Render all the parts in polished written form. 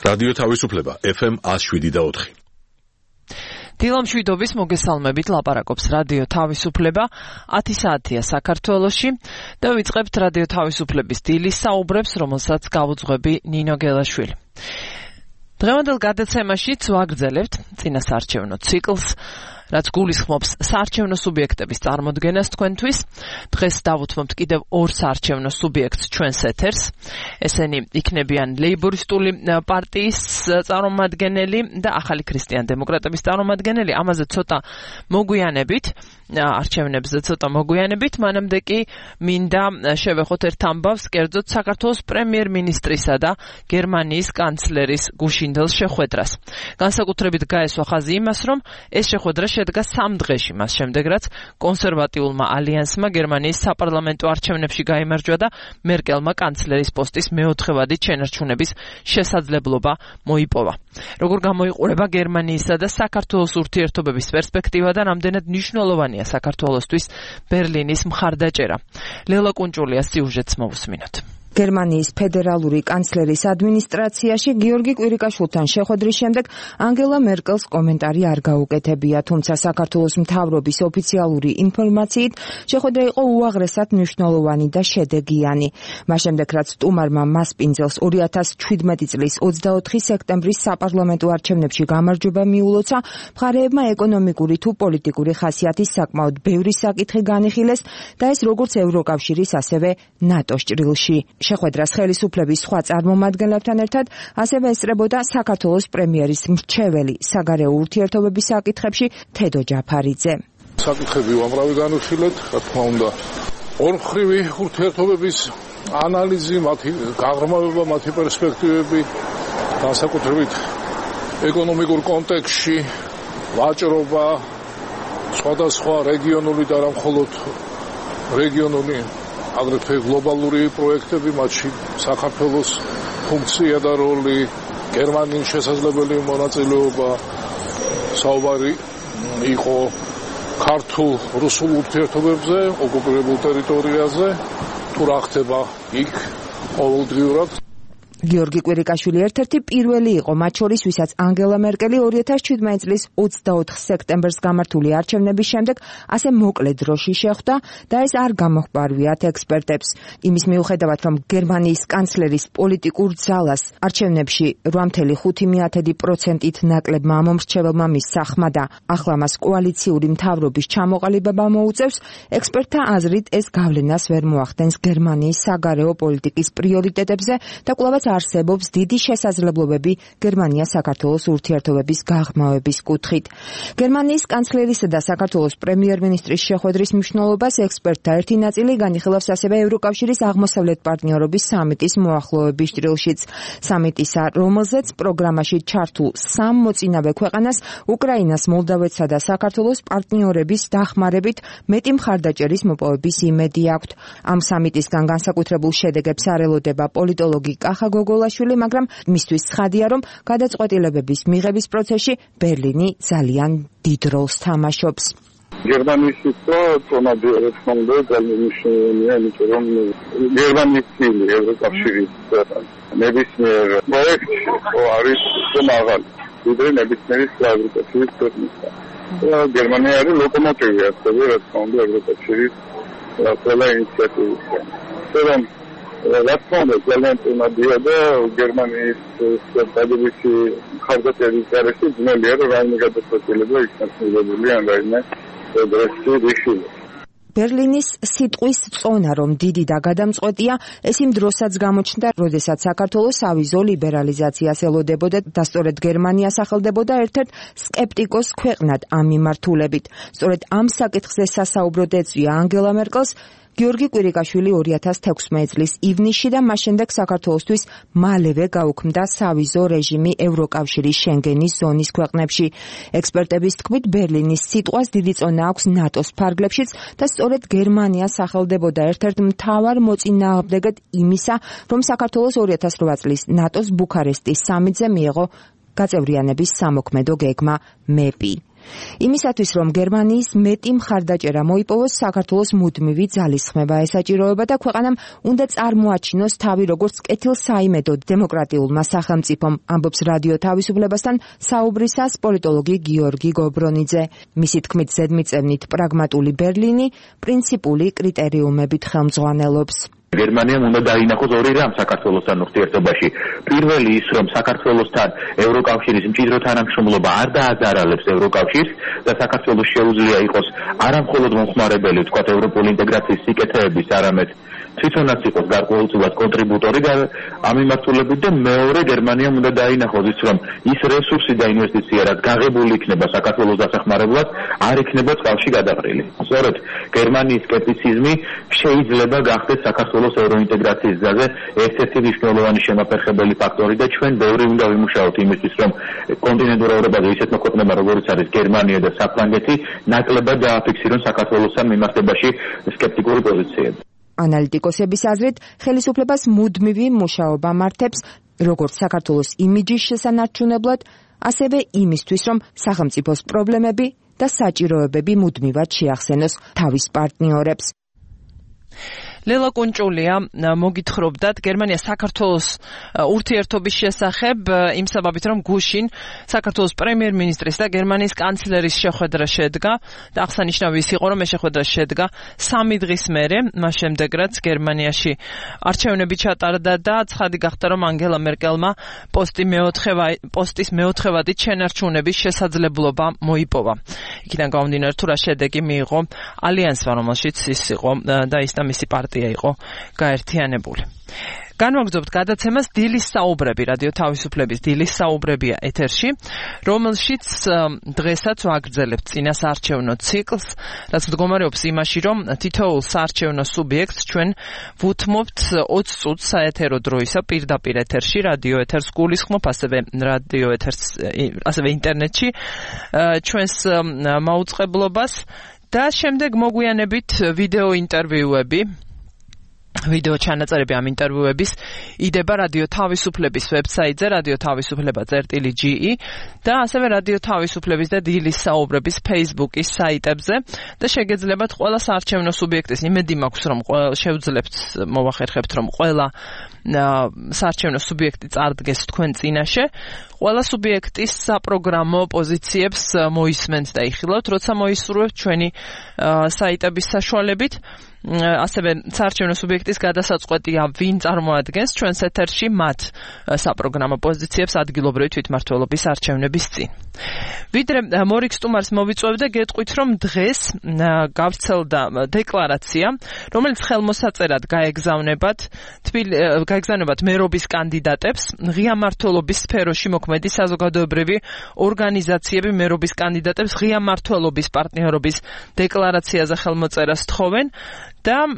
რადიო თავისუფლება FM 107.4. დილამშვიდობის მოგესალმებით, ლაპარაკობს რადიო თავისუფლება 10 საათია საქართველოში და ვიწყებთ რადიო თავისუფლების დილის საუბრებს, რომელსაც გავუძღვები ნინო გელაშვილი. დღევანდელ გადაცემაშიც ვაგრძელებთ წინასაარჩევნო ციკლს, რაც გულისხმობს საარჩევნო სუბიექტების წარმოდგენას თქვენთვის. დღეს დავუთმობთ კიდევ ორ საარჩევნო სუბიექტს ჩვენს ეთერს. ესენი იქნებიან ლეიბორისტული პარტიის წარმომადგენელი და ახალი ქრისტიან-დემოკრატების წარმომადგენელი. ამაზე ცოტა მოგვიანებით, არჩევნებზე ცოტა მოგვიანებით, მანამდე კი მინდა შევეხოთ ერთ ამბავს, კერძოდ საქართველოს პრემიერ-მინისტრისა და გერმანიის კანცლერის გუშინდელ შეხვედრას. განსაკუთრებით გაესვა ხაზი იმას, რომ ეს შეხვედრა შედგა 3 დღეში, მას შემდეგ რაც კონსერვატიულმა ალიანსმა გერმანიის საპარლამენტო არჩევნებში გაიმარჯვა და მერკელმა კანცლერის პოსტის მეოთხევადი შენარჩუნების შესაძლებლობა მოიპოვა. როგორ გამოიყურება გერმანიისა და საქართველოს ურთიერთობების პერსპექტივა და რამდენად მნიშვნელოვანია საქართველოსთვის ბერლინის მხარდაჭერა. ლელა კუნჭულია სიუჟეტს მოვუსმინოთ. გერმანიის ფედერალური კანცლერის ადმინისტრაციაში გიორგი კვირიკაშვილთან შეხვედრის შემდეგ ანგელა მერკელს კომენტარი არ გაუკეთებია, თუმცა საქართველოს მთავრობის ოფიციალური ინფორმაციით შეხვედრა იყო უაღრესად მნიშვნელოვანი და შედეგიანი. მას შემდეგ რაც სტუმარმა მასპინძელს 2017 წლის 24 სექტემბრის საპარლამენტო არჩევნებში გამარჯვება მიულოცა, მხარეებმა ეკონომიკური თუ პოლიტიკური ხასიათის საკმაოდ ბევრი საკითხი განიხილეს და ეს როგორც ევროკავშირის, ასევე ნატოს ჭრილში. შეხვედრას ხელისუფლების სხვა წარმომადგენლებთან ერთად ასევე ესწრებოდა საქართველოს პრემიერის მრჩეველი საგარეო ურთიერთობების საკითხებში თედო ჯაფარიძე. საკითხები უამრავი განვიხილეთ, რა თქმა უნდა, ორმხრივი ურთიერთობების ანალიზი, მათი გაღრმავება, მათი პერსპექტივები, განსაკუთრებით ეკონომიკურ კონტექსტში, ვაჭრობა, სხვადასხვა რეგიონული და არა მხოლოდ რეგიონული აგრეთვე გლობალური პროექტები, მათში საქართველოს ფუნქცია და როლი, გერმანიის შესაძლებელი მონაწილეობა, საუბარი იყო ქართულ-რუსულ ურთიერთობებზე, ოკუპირებულ ტერიტორიაზე, თუ რა ხდება იქ ყოველდღიურად. გიორგი კვირიკაშვილი ერთ-ერთი პირველი იყო მათ შორის, ვისაც ანგელა მერკელი 2017 წლის 24 სექტემბერს გამართული არჩევნების შემდეგ ასე მოკლე დროში შეხვდა და ეს არ გამოჰყარვიათ ექსპერტებს. იმის მიუხედავად, რომ გერმანიის კანცლერის პოლიტიკურ ძალას არჩევნებში 8.5%-ით ნაკლებმა მომრჩეველმა მისცა ხმა და ახლა მას კოალიციური მთავრობის ჩამოყალიბება მოუწევს, ექსპერტთა აზრით ეს გავლენას ვერ მოახდენს გერმანიის საგარეო პოლიტიკის პრიორიტეტებზე და კვლავაც არსებობს დიდი შესაძლებლობები გერმანია-საქართველოს ურთიერთობების გაღრმავების კუთხით. გერმანიის კანცლერისა და საქართველოს პრემიერ-მინისტრის შეხვედრის მნიშვნელობას ექსპერტთა ერთი ნაწილი განიხილავს ასევე ევროკავშირის აღმოსავლეთ პარტნიორობის სამიტის მოახლოების ჭრილშიც. სამიტისა, რომელზეც პროგრამაში ჩართულ 3 მოწინავე ქვეყანას, უკრაინას, მოლდავეთსა და საქართველოს პარტნიორების დახმარებით მეტი მხარდაჭერის მოპოვების იმედი აქვთ. ამ სამიტისგან განსაკუთრებულ შედეგებს არ ელოდება პოლიტოლოგი კახა გოგოლაშვილი, მაგრამ მისთვის ცხადია, რომ გადაწყვეტილებების მიღების პროცესში ბერლინი ძალიან დიდ როლს თამაშობს. გერმანიის თონადი რესპონდენტი ძალიან მნიშვნელოვანია, იმიტომ რომ გერმანიის წილი ევროკავშირის ნებისმიერ პროექტში არის მაღალი, ვიდრე ნებისმიერი ევროკავშირის ქვეყნისა. გერმანია არის ლოკომოტივი, ასევე რა თქმა უნდა ევროკავშირის ყველა ინიციატივისგან. რა თქმა უნდა ძალიან წინადია და გერმანიის სტაბილიზაციის მხარდაჭერის გარეშე ძნელია რომ რაიმე გადაწყვეტილება იქნას მიღებული ან რაიმე პროგრესი რიშილი. ბერლინის სიტყვის წონა, რომ დიდი და გადამწყვეტია, ეს იმ დროსაც გამოჩნდა, როდესაც საქართველოს ავიზო ლიბერალიზაციას ელოდებოდა და სწორედ გერმანია სახელდებოდა ერთ-ერთ სკეპტიკოს ქვეყნად ამ მიმართულებით. სწორედ ამ საკითხზე სასაუბროდ ეწვია ანგელა მერკელს გიორგი კვირიკაშვილი 2016 წლის ივნისში და მას შემდეგ საქართველოსთვის მალევე გაუქმდა სავიზო რეჟიმი ევროკავშირის შენგენის ზონის ქვეყნებში. ექსპერტების თქმით, ბერლინის სიტყვას დიდი წონა აქვს ნატოს ფარგლებშიც და სწორედ გერმანია სახელდებოდა ერთ-ერთ მთავარ მოწინააღმდეგედ იმისა, რომ საქართველოს 2008 წლის ნატოს ბუქარესტის სამიტზე მიიღო გაწევრიანების სამოქმედო გეგმა მეპი. იმისათვის, რომ გერმანიის მეტი მხარდაჭერა მოიპოვოს, საქართველოს მუდმივი ძალისხმება ესაჭიროება და ქვეყანამ უნდა წარმოაჩინოს თავი როგორც კეთილსაიმედო დემოკრატიულმა სახელმწიფომ, ამბობს რადიო თავისუფლებასთან საუბრისას პოლიტოლოგი გიორგი გობრონიძე. მისი თქმით, ზედმიწევნით პრაგმატული ბერლინი პრინციპული კრიტერიუმებით ხელმძღვანელობს. გერმანიამ უნდა დაინახოს ორი რამ საქართველოსთან ურთიერთობაში. პირველი ის, რომ საქართველოსთან ევროკავშირის მჭიდრო თანამშრომლობა არ დააზარალებს ევროკავშირს და საქართველოს შეუძლია იყოს არა მხოლოდ მომხმარებელი, ვთქვათ, ევროპული ინტეგრაციის სიკეთეების, არამედ თვითონაც იყოს გარკვეულწილად კონტრიბუტორი და ამ მიმართულებით და მეორე გერმანიამ უნდა დაინახოს ის, რომ ის რესურსი და ინვესტიცია, რაც გაღებული იქნება საქართველოს დასახმარებლად, არ იქნება წყალში გადაყრილი. სწორედ გერმანიის სკეპტიციზმი შეიძლება გახდეს საქართველოს ევროინტეგრაციის გზაზე ერთ-ერთი მნიშვნელოვანი შემაფერხებელი ფაქტორი და ჩვენ ბევრი უნდა ვიმუშაოთ იმისთვის, რომ კონტინენტურ ევროპაზე ისეთმა ქვეყნებმა, როგორიც არის გერმანია და საფრანგეთი, ნაკლებად დააფიქსირონ საქართველოსთან მიმართებაში სკეპტიკური პოზიციები. ანალიტიკოსების აზრით, ხელისუფლებას მუდმივი მუშაობა მართებს როგორც საქართველოს იმიჯის შესანარჩუნებლად, ასევე იმისთვის, რომ სახელმწიფოს პრობლემები და საჭიროებები მუდმივად შეახსენოს თავის პარტნიორებს. ლელა კუნჭულია მოგითხრობდათ გერმანია საქართველოს ურთიერთობის შესახებ იმ საბაბით, რომ გუშინ საქართველოს პრემიერ-მინისტრის და გერმანიის კანცლერის შეხვედრა შედგა და აღსანიშნავი ის იყო, რომ ეს შეხვედრა შედგა 3 დღის მერე, მას შემდეგ რაც გერმანიაში არჩევნები ჩატარდა და ცხადი გახდა, რომ ანგელა მერკელმა პოსტის მეოთხევადით შენარჩუნების შესაძლებლობა მოიპოვა. იქიდან გამომდინარე, თუ რა შედეგი მიიღო ალიანსმა, რომელშიც ის იყო და ის და მისი პარტია იყო გაერთიანებული. განვაგრძობთ გადაცემას დილის საუბრები, რადიო თავისუფლების დილის საუბრებია ეთერში, რომელშიც დღესაც ვაგრძელებთ წინასაარჩევნო ციკლს, რაც მდგომარეობს იმაში, რომ თითოეულ საარჩევნო სუბიექტს ჩვენ ვუთმობთ 20 წუთს საეთერო დროისა პირდაპირ ეთერში, რადიო ეთერს გულისხმობ, ასევე ინტერნეტში ჩვენს მაუწყებლობას და შემდეგ მოგვიანებით ვიდეო ინტერვიუები, ვიდეო ჩანაწერები ამ ინტერვიუების იდება რადიო თავისუფლების ვებსაიტზე radiotavisufleba.ge და ასევე რადიო თავისუფლების და დილის საუბრების Facebook-ის საიტებზე და შეგეძლებათ ყველა საარჩევნო სუბიექტის იმედი მაქვს, რომ შევძლებთ მოვახერხებთ, რომ ყველა საარჩევნო სუბიექტი წარდგეს თქვენ წინაშე, ყველა სუბიექტის საპროგრამო პოზიციებს მოისმენთ და იხილავთ, როცა მოისურვებთ ჩვენი საიტების საშუალებით. ასევე საარჩევნო სუბიექტის გადასაწყვეტია ვინ წარმოადგენს ჩვენს ეთერში მათ საპროგრამო პოზიციებს ადგილობრივი თვითმმართველობის არჩევნების წინ. ვიდრე მორიქ სტუმარს მოვიწვევდე, გეტყვით, რომ დღეს გავრცელდა დეკლარაცია, რომელიც ხელმოსაწერად გაეგზავნებათ მერობის კანდიდატებს, ღია მმართველობის სფეროში მოქმედი საზოგადოებრივი ორგანიზაციები მერობის კანდიდატებს ღია მმართველობის პარტნიორობის დეკლარაციაზე ხელმოწერას თხოვენ და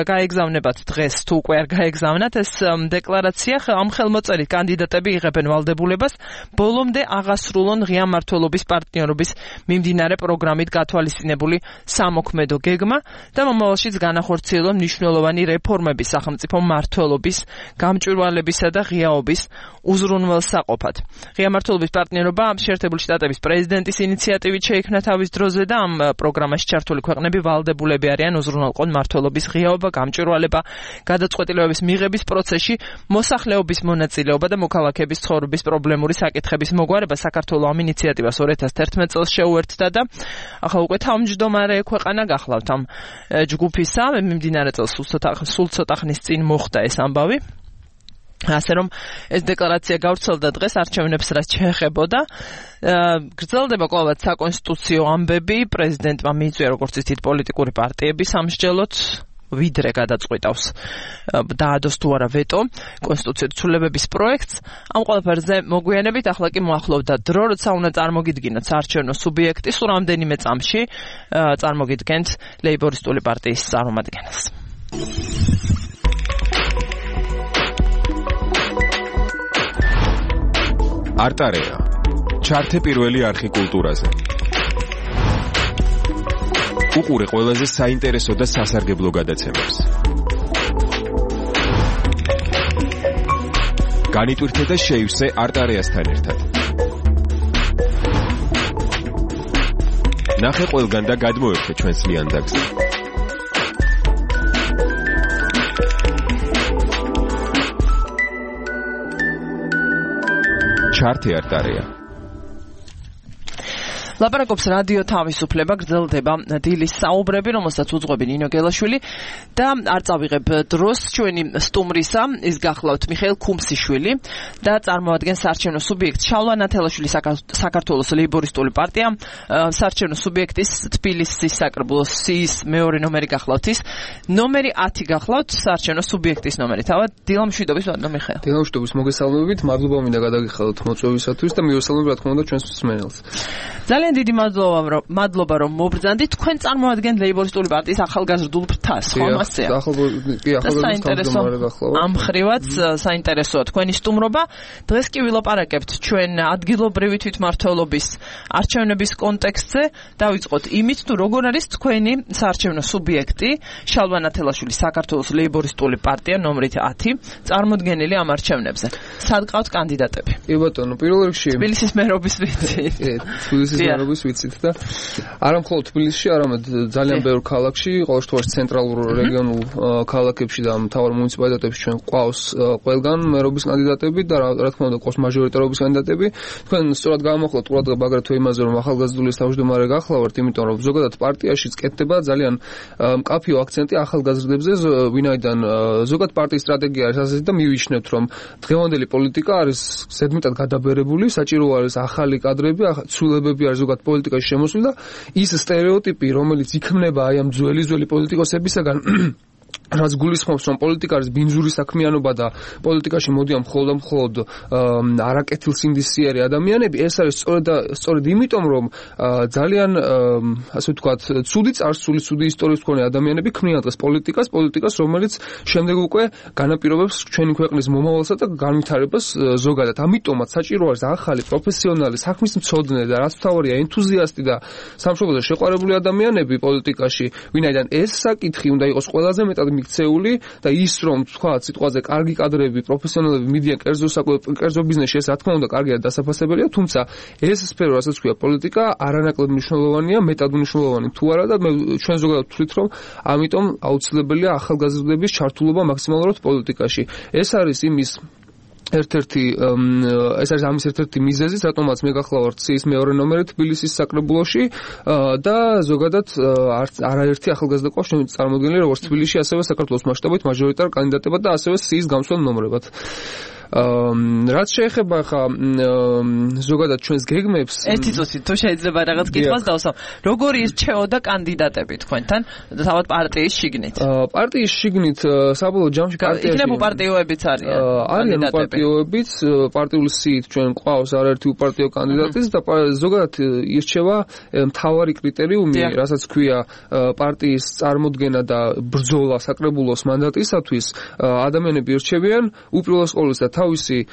გაეგზავნებათ დღეს, თუ უკვე არ გაეგზავნათ ეს დეკლარაცია, ამ ხელმოწერით კანდიდატები იღებენ ვალდებულებას ბოლომდე აღასრულონ ღია მმართველობის პარტნიორობის მიმდინარე პროგრამით გათვალისწინებული სამოქმედო გეგმა და მომავალშიც განახორციელონ მნიშვნელოვანი რეფორმები სახელმწიფო მმართველობის, გამჭვირვალებისა და ღიაობის უზრუნველსაყოფად. ღია მმართველობის პარტნიორობა შეერთებული შტატების პრეზიდენტის ინიციატივით შეიქმნა თავის დროზე და ამ პროგრამაში ჩართული ქვეყნები ვალდებულები არიან უზრუნველყონ მმართველობის ღიაობა, გამჭვირვალება, გადაწყვეტილებების მიღების პროცესში მოსახლეობის მონაწილეობა და მოქალაქეების ცხოვრების პრობლემური საკითხების მოგვარება. საქართველოს ამ ინიციატივას 2011 წელს შეუერთდა და ახლა უკვე თავმჯდომარე ქვეყანა გახლავთ ამ ჯგუფისა. მიმდინარე წელს სულ ცოტა ხნის წინ მოხდა ეს ამბავი. ასე რომ ეს დეკლარაცია გავრცელდა დღეს არჩევნებს რაც შეეხებოდა. გრძელდება კვლავაც საკონსტიტუციო ამბები, პრეზიდენტმა მიიწვია როგორც იცით პოლიტიკური პარტიების სამსჯელოდ ვიდრე გადაწყვიტავს დაადოს თუ არა ვეტო კონსტიტუციური ცვლილებების პროექტს. ამ ყველაფერზე მოგვიანებით ახლა კი მოახლოვდა დრო, როცა უნდა წარმოგიდგინოთ საარჩევნო სუბიექტი, სულ რამდენიმე წამში წარმოგიდგენთ ლეიბორისტული პარტიის წარმომადგენელს. არტარეა ჩართე პირველი არხი კულტურაზე. უყურე ყველაზე საინტერესო და სასარგებლო გადაცემებს. განიტვირთე და შეივსე არტარეასთან ერთად. ნახე ყველგან და გადმოერხე ჩვენს ლიანდაგზე. ჩარტი არტარია. ლაპარაკობს რადიო თავისუფლება, გრძელდება დილის საუბრები, რომელსაც უძღვები ნინო გელაშვილი და არ წავიღებ დროს ჩვენი სტუმრისა, ის გახლავთ მიხეილ ქუმსიშვილი და წარმოადგენს საარჩევნო სუბიექტ შალვა ნათელაშვილი საქართველოს ლეიბორისტული პარტია, საარჩევნო სუბიექტის თბილისის საკრებულოს სიის მეორე ნომერი გახლავთ ის, ნომერი 10 გახლავთ საარჩევნო სუბიექტის ნომერი. თავად დილამშვიდობის ბატონო მიხეილ. დილამშვიდობის მოგესალმებით, მადლობა მინდა გადაგიხადოთ მოწვევისათვის და მივესალმებ რა თქმა უნდა ჩვენს მსმენელს. ძალიან დიდი მადლობა რომ მობრძანდით. თქვენ წარმოადგენთ ლეიბორისტული პარტიის ახალგაზრდულ ფრთას, ხო მასეა? ამ ხრივაც საინტერესოა თქვენი სტუმრობა. დღეს კი ვილაპარაკებთ ჩვენ ადგილობრივი თვითმმართველობის არჩევნების კონტექსტზე. დავიწყოთ იმით, თუ როგორ არის თქვენი საარჩევნო სუბიექტი, შალვა ნათელაშვილის საქართველოს ლეიბორისტული პარტია ნომრით 10, წარმოდგენილი ამ არჩევნებზე. სად ყავთ კანდიდატები? კი ბატონო, პირველ რიგში თბილისის მერობის ვიცით. თბილისის მერობის ვიცით და არა მხოლოდ თბილისში, არამედ ძალიან ბევრ ქალაქში, ყოველ შემთხვევაში ცენტრალურ რეგიონულ ქალაქებში და მთავარ მუნიციპალიტეტებში ჩვენ ყავს ყველგან მერობის კანდიდატები და რა თქმა უნდა ყავს მაჟორიტარობის კანდიდატები. თქვენ სწორად გამოხლოთ ყურადღება აგრეთვე იმაზე, რომ ახალგაზრდულის თავმჯდომარე გახლავართ, იმიტომ რომ ზოგადად პარტიაში წკეთდება ძალიან მკაფიო აქცენტი ახალგაზრდებზე, ვინაიდან ზოგადად პარტიის სტრატეგია არის ასეთი და მივიჩნევთ, რომ დღევანდელი პოლიტიკა არის ზედმეტად გადაბერებული, საჭირო არის ახალი კადრები, ცვლილებები არის ზოგადად პოლიტიკაში შემოსული და ის სტერეოტიპი, რომელიც იქმნება აი ამ ძველი პოლიტიკოსებისაგან რაც გულისხმობს, რომ პოლიტიკა არის ბინძური საქმიანობა და პოლიტიკაში მოდიან მხოლოდ არაკეთილსინდისიერი ადამიანები, ეს არის სწორედ იმიტომ, რომ ძალიან ასე ვთქვათ, ცუდი წარსული, ცუდი ისტორიის მქონე ადამიანები ქმნიან დღეს პოლიტიკას, რომელიც შემდეგ უკვე განაპირობებს ჩვენი ქვეყნის მომავალსა და განვითარებას ზოგადად. ამიტომაც საჭირო არის ახალი პროფესიონალი, საქმის მცოდნე და რაც მთავარია, ენთუზიასტი და სამშობლოზე შეყვარებული ადამიანები პოლიტიკაში, ვინაიდან ეს საკითხი უნდა იყოს ყველაზე მეტად მიქცეული და ის რომ თქვა სიტყვაზე კარგი კადრები, პროფესიონალები მიდიან კერძო ბიზნესში, ეს რა თქმა უნდა კარგია დასაფასებელია, თუმცა ეს სფერო, რასაც ქვია პოლიტიკა, არანაკლებ მნიშვნელოვანია, მეტად მნიშვნელოვანი თუ არა და ჩვენ ზოგადად ვთვლით, რომ ამიტომ აუცილებელია ახალგაზრდების ჩართულობა მაქსიმალურად პოლიტიკაში. ეს არის ამის ერთ-ერთი მიზეზი, რატომაც მე გახლავართ სიის მეორე ნომერი თბილისის საკრებულოში და ზოგადად არაერთი ახალგაზრდა ყავს წარმოდგენილი როგორც თბილისში, ასევე საქართველოს მასშტაბით მაჟორიტარ კანდიდატებად და ასევე სიის გამსვლელ ნომრებად. რაც შეეხება ხა ზოგადად ჩვენს გეგმებს, ერთი წუთი თუ შეიძლება რაღაც კითხვას დავსვამ. როგორი რჩეოდა კანდიდატები თქვენთან თავად პარტიის შიგნით? პარტიის შიგნით საბოლოო ჯამში პარტიაში იქნება პარტიოებიც არიან პარტიოებიც, პარტიული სიით ჩვენ ყავს არაერთი უპარტიო კანდიდატიც და ზოგადად ირჩევა მთავარი კრიტერიუმი, რასაც ქვია პარტიის წარმოდგენა და ბრძოლა საკრებულოს მანდატისათვის, ადამიანები ირჩევიან უპირველეს ყოვლისა თავისი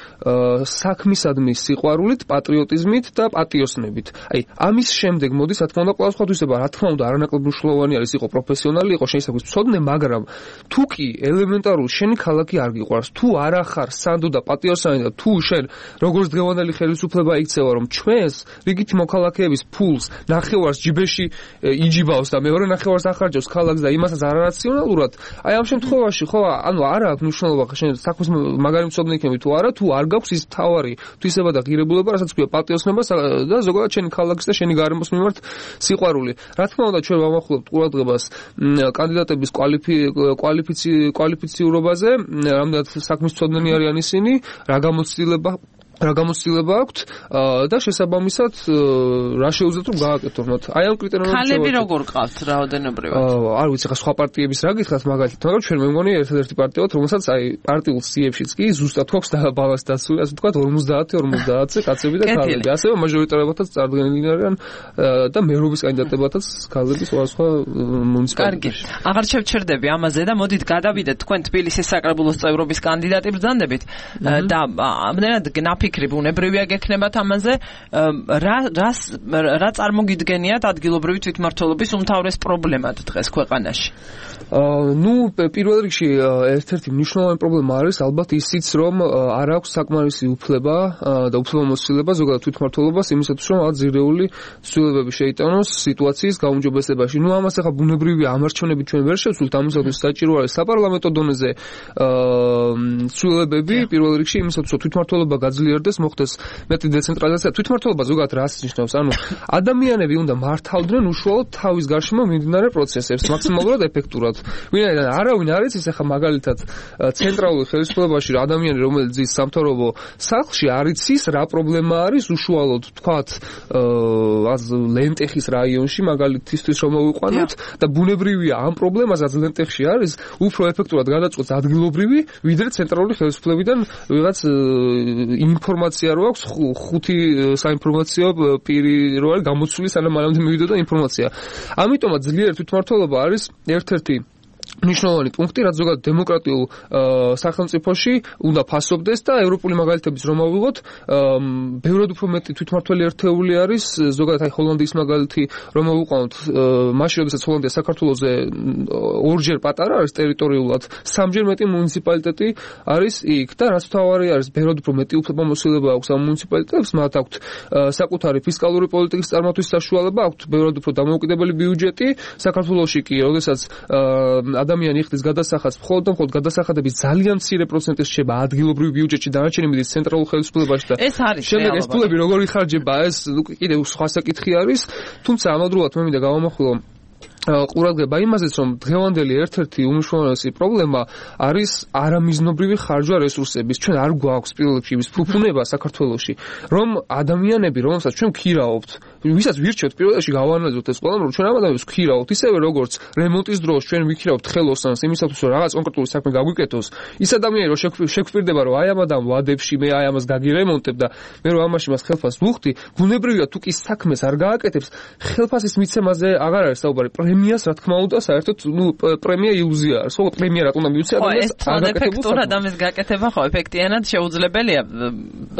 საქმისადმი სიყვარულით, პატრიოტიზმით და პატიოსნებით. აი, ამის შემდეგ მოდის, რა თქმა უნდა, ყოველსხმათვისება, რა თქმა უნდა, არანაკლებ მნიშვნელოვანი არის იყო პროფესიონალი, იყო შეისახვის მცოდნე, მაგრამ თუ კი ელემენტარულ შენი ქალაქი არ გიყვარს, თუ არ ახარ სანდო და პატიოსანი და თუ შენ როგორც დღევანდელი ხელისუფლება იქცევა, რომ ჩვენს რიგითი მოქალაქეების ფულს ნახევარს ჯიბეში იჯიბავს და მეორე ნახევარს ახარჯავს ქალაქს და იმასაც არარაციონალურად, აი ამ შემთხვევაში ხო, ანუ არა აქვს მნიშვნელობა შენ საქმის მაგარი მცოდნე იქნება თუ არა, თუ არ გაქვს ის თავარი თვისება და ღირებულება, რასაც ქვია პატიოსნებას და ზოგადად შენი ქალაქის და შენი გარემოს მიმართ სიყვარული. რა თქმა უნდა, ჩვენ ვამახვილებთ ყურადღებას კანდიდატების კვალიფიციურობაზე, რამდენად საქმის მცოდნენი არიან ისინი, რა გამოცდილება აქვთ და შესაბამისად რა შეუძლიათ რომ გააკეთონ მათ. აი ამ კრიტერიუმებს ქალები როგორ ყავთ რაოდენობრივად? არ ვიცი, ხა სხვა პარტიების რა გითხრათ მაგალითად, მაგრამ ჩვენ მე მგონი ერთ-ერთი პარტია ვართ, რომელსაც აი პარტიულ სიებშიც კი ზუსტად გვაქვს და ბალანს დაცული, ასე ვთქვათ 50-50-ზე კაცები და ქალები. ასევე მაჟორიტარებათაც წარდგენილი არიან და მერობის კანდიდატებათაც ქალები სხვა მუნიციპალიტეტებში. კარგი. აღარ შევჩერდები ამაზე და მოდით გადავიდეთ თქვენ თბილისის საკრებულოს წევრობის კანდიდატი ბრძანდებით და ამდენად გნაფი ფიქრი ბუნებრივია გექნებათ ამაზე რა წარმოგიდგენიათ ადგილობრივი თვითმმართველობის უმთავრეს პრობლემად დღეს ქვეყანაში? პირველ რიგში ერთ-ერთი მნიშვნელოვანი პრობლემა არის ალბათ ისიც, რომ არ აქვს საკმარისი უფლება და უფლებამოსილება ზოგადად თვითმმართველობას იმისათვის, რომ აზირეული ცვლილებები შეიტანოს სიტუაციის გაუმჯობესებაში. ამას ახლა ბუნებრივია ამარჩევნები ჩვენ ვერ შევცვლით, ამისათვის საჭირო არის საპარლამენტო დონეზე ცვლილებები პირველ რიგში იმისათვის, რომ თვითმმართველობა გაძლიერდეს, მოხდეს მეტი დეცენტრალიზაცია. თვითმმართველობა ზოგადად რას ნიშნავს? ადამიანები უნდა მართავდნენ უშუალოდ თავის გარშემო მიმდინარე პროცესებს მაქსიმალურად ეფექტურად. ვინაიდან არავინ არ იცის ახლა მაგალითად ცენტრალურ ხელისუფლებაში ადამიანი რომელიც ძის სამთავრობო სახლში არ იცის რა პრობლემა არის უშუალოდ თქვათ ლენტეხის რაიონში მაგალითისთვის რომ მოვიყვანოთ და ბუნებრივია ამ პრობლემასაც ლენტეხში არის უფრო ეფექტურად გადაწყვეტს ადგილობრივი ვიდრე ცენტრალური ხელისუფლებიდან ვიღაც ინფორმაცია რო აქვს ხუთი საინფორმაციო პირი რო არის გამოცული სანამ მანამდე მივიდოდა ინფორმაცია. ამიტომაც ძლიერი თვითმმართველობა არის ერთ-ერთი მნიშვნელოვანი პუნქტი, რაც ზოგადად დემოკრატიულ სახელმწიფოში უნდა ფასობდეს და ევროპული მაგალითების რომ ავიღოთ, ბევრად უფრო მეტი თვითმმართველი ერთეული არის, ზოგადად ჰოლანდიის მაგალითი რომ ავიყვანოთ, მაშინ როდესაც ჰოლანდია საქართველოზე ორჯერ პატარა არის ტერიტორიულად, სამჯერ მეტი მუნიციპალიტეტი არის იქ და რაც თავარი არის, ბევრად უფრო მეტი უფლებამოსილება აქვს ამ მუნიციპალიტეტებს, მათ აქვთ საკუთარი ფისკალური პოლიტიკის წარმართვის საშუალება, აქვთ ბევრად უფრო დამოუკიდებელი ბიუჯეტი, საქართველოში კი, როდესაც ადამიანი იხდის გადასახადს, მხოლოდ გადასახადების ძალიან მცირე პროცენტი რჩება ადგილობრივ ბიუჯეტში, დანარჩენი მიდის ცენტრალურ ხელისუფლებაში და ეს არის შემდეგ ეს ფულები როგორ იხარჯება, ეს კიდევ სხვა საკითხი არის, თუმცა ამავდროულად მე მინდა გავამახვილო ყურადღება იმაზეც, რომ დღევანდელი ერთ-ერთი უმნიშვნელოვანესი პრობლემა არის არამიზნობრივი ხარჯვა რესურსების. ჩვენ არ გვაქვს პირველ რიგში იმის ფუფუნება საქართველოში, რომ ადამიანები, რომელსაც ჩვენ ვქირავთ, ვისაც ვირჩევთ პირველ რიგში გავანალიზოთ ეს ყველა, რომ ჩვენ ამ ადამიანებს ვქირავთ, ისევე როგორც რემონტის დროს ჩვენ ვიქირავთ ხელოსანს იმისათვის, რომ რაღაც კონკრეტული საქმე გაგვიკეთოს, ის ადამიანი რომ შეგვფირდება, რომ აი ამ ადამიანს ვადებში მე აი ამას გაგირემონტებ და მე რომ ამაში მას ხელფასს ვუხდი, ბუნებრივია თუ კი საქმეს არ გააკეთებს, ხელფასის მიცემაზე აღარ არის საუბარი. პრემიას რა თქმა უნდა საერთოდ პრემია ილუზია არის. ხო პრემია რატომ მივცე ადამიანს ეფექტურად ამის გაკეთება ხო ეფექტიანად შეუძლებელია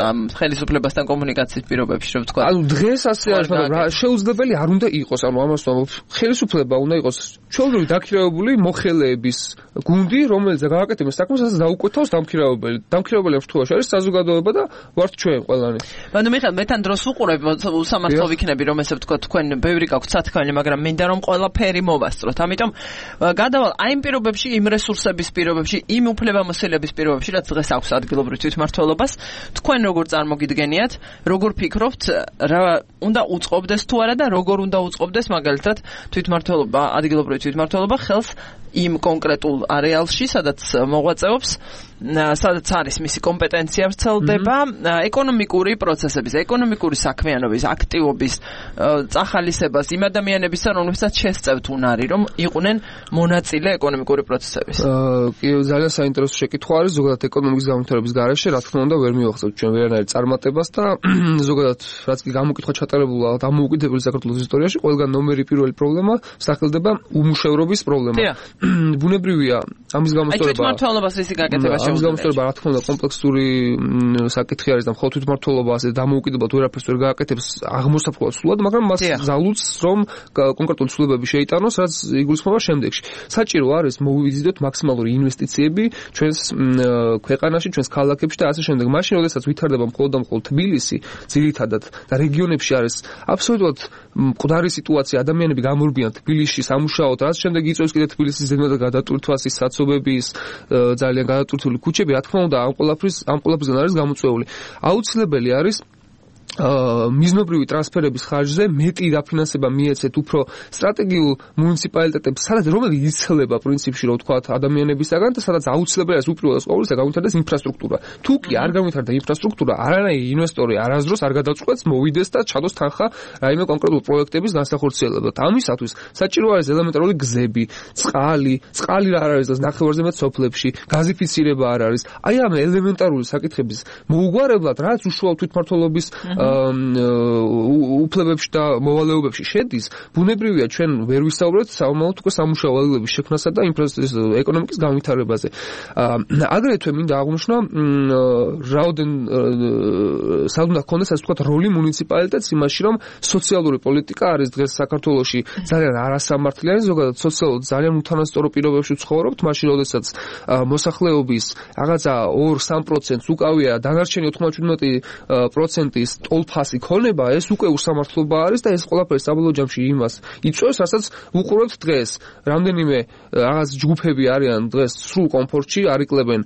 ამ ხელისუფლებასთან კომუნიკაციის პირობებში რომ ვთქვა. დღეს ასე არის, მაგრამ შეუძლებელი არ უნდა იყოს. ამას ხელისუფლება უნდა იყოს ჩვეულებრივი დაქირავებული მოხელეების გუნდი, რომელიც გააკეთებს საქმეს, ასე დაუკვეთავს დამქირავებელი. დამქირავებელი ამ შემთხვევაში არის საზოგადოება და ვართ ჩვენ ყველანი. მიხეილ, მე თან დროს უყურებ, უსამართლო ვიქნები რომ ესე ვთქვა, თქვენ ბევრი გაქვთ სათქმელი, მაგრამ მინდა რომ ყველაფერი მოვასწროთ. ამიტომ გადავალ აი იმ პირობებში, იმ რესურსების პირობებში, იმ უფლებამოსილების პირობებში, რაც დღეს აქვს ადგილობრივ თვითმმართველობას, თქვენ როგორ წარმოგიდგენიათ, როგორ ფიქრობთ, რა უნდა უწყობდეს თუ არა და როგორ უნდა უწყობდეს მაგალითად თვითმმართველობა, ადგილობრივი თვითმმართველობა ხელს იმ კონკრეტულ არეალში, სადაც მოღვაწეობს, სადაც არის მისი კომპეტენცია ვრცელდება, ეკონომიკური პროცესების, ეკონომიკური საქმიანობის, აქტივობის წახალისებას იმ ადამიანებისა, რომლებსაც შესწევთ უნარი, რომ იყვნენ მონაწილე ეკონომიკური პროცესების. კი, ძალიან საინტერესო შეკითხვა არის, ზოგადად ეკონომიკის განვითარების გარეშე, რა თქმა უნდა, ვერ მივახსოვთ ჩვენ ვერანაირ წარმატებას და ზოგადად რაც კი გამოკითხვა ჩატარებულა დამოუკიდებელი საქართველოს ისტორიაში, ყველგან ნომერი პირველი პრობლემა სახელდება უმუშევრობის პრობლემა. ბუნებრივია ამის გამოსწორება. აი თვითმმართველობას ისი გაკეთება ამის გამოსწორება რა თქმა უნდა კომპლექსური საკითხი არის და მხოლოდ თვითმმართველობა ასე დამოუკიდებლად ვერაფერს ვერ გააკეთებს აღმოსაფხვრად სულად, მაგრამ მას ზალუts რომ კონკრეტული ცვლილებები შეიტანოს, რაც იგულისხმება შემდეგში. საჭირო არის მოვიზიდოთ მაქსიმალური ინვესტიციები ჩვენს ქვეყანაში, ჩვენს ქალაქებში და ასე შემდეგ. მაშინ როდესაც ვითარდება მხოლოდ და მხოლოდ თბილისი, ძირითადად და რეგიონებში არის აბსოლუტურად მკვდარი სიტუაცია, ადამიანები გამორბიან თბილისში სამუშაოდ, რაც შემდეგ იწვევს კიდე თბილისის ზედმეტად გადატვირთვას, ის საცობების ძალიან გადატვირთული ქუჩები, რა თქმა უნდა, ამ ყველაფრისგან არის გამოწვეული. აუცილებელი არის მიზნობრივი ტრანსფერების ხარჯზე მეტი დაფინანსება მიეცეთ უფრო სტრატეგიულ მუნიციპალიტეტებს, სადაც რომელიც იცლება პრინციპში, რომ ვთქვათ, ადამიანებისაგან და სადაც აუცილებელი არის უპირველეს ყოვლისა გავითარდეს ინფრასტრუქტურა. თუ კი არ გავითარდა ინფრასტრუქტურა, არანაირი ინვესტორი არასდროს არ გადაწყვეტს მოვიდეს და ჩადოს თანხა რაიმე კონკრეტულ პროექტების განსახორციელებად. ამისათვის საჭირო არის ელემენტარული გზები, წყალი რა არის და ნახევარზე მეტ სოფლებში, გაზიფიცირება არ არის. აი ამ ელემენტარული საკითხების მოუგვარებლად, რაც უშუალოდ თვითმმართველობის უფლებებში და მოვალეობებში შედის, ბუნებრივია ჩვენ ვერ ვისაუბრებთ საომალოდ უკვე სამუშაო ვალილების შექმნასა და ეკონომიკის განვითარებაზე. აგრეთვე მინდა აღვნიშნო, საუნდა ჰქონდეს ასე ვთქვათ როლი მუნიციპალიტეტს იმაში, რომ სოციალური პოლიტიკა არის დღეს საქართველოში ძალიან არასამართლიანი, ზოგადად სოციალურად ძალიან უთანასწორო პირობებში ცხოვრობთ, მაშინ როდესაც მოსახლეობის რაღაცა 2-3%-ს უკავია დანარჩენი 97%-ის ტოლფასი ქონება, ეს უკვე უსამართლობა არის და ეს ყველაფერი საბოლოო ჯამში იმას იწვევს, რასაც უყურებთ დღეს. რამდენიმე რაღაც ჯგუფები არიან დღეს სრულ კომფორტში, არიკლებენ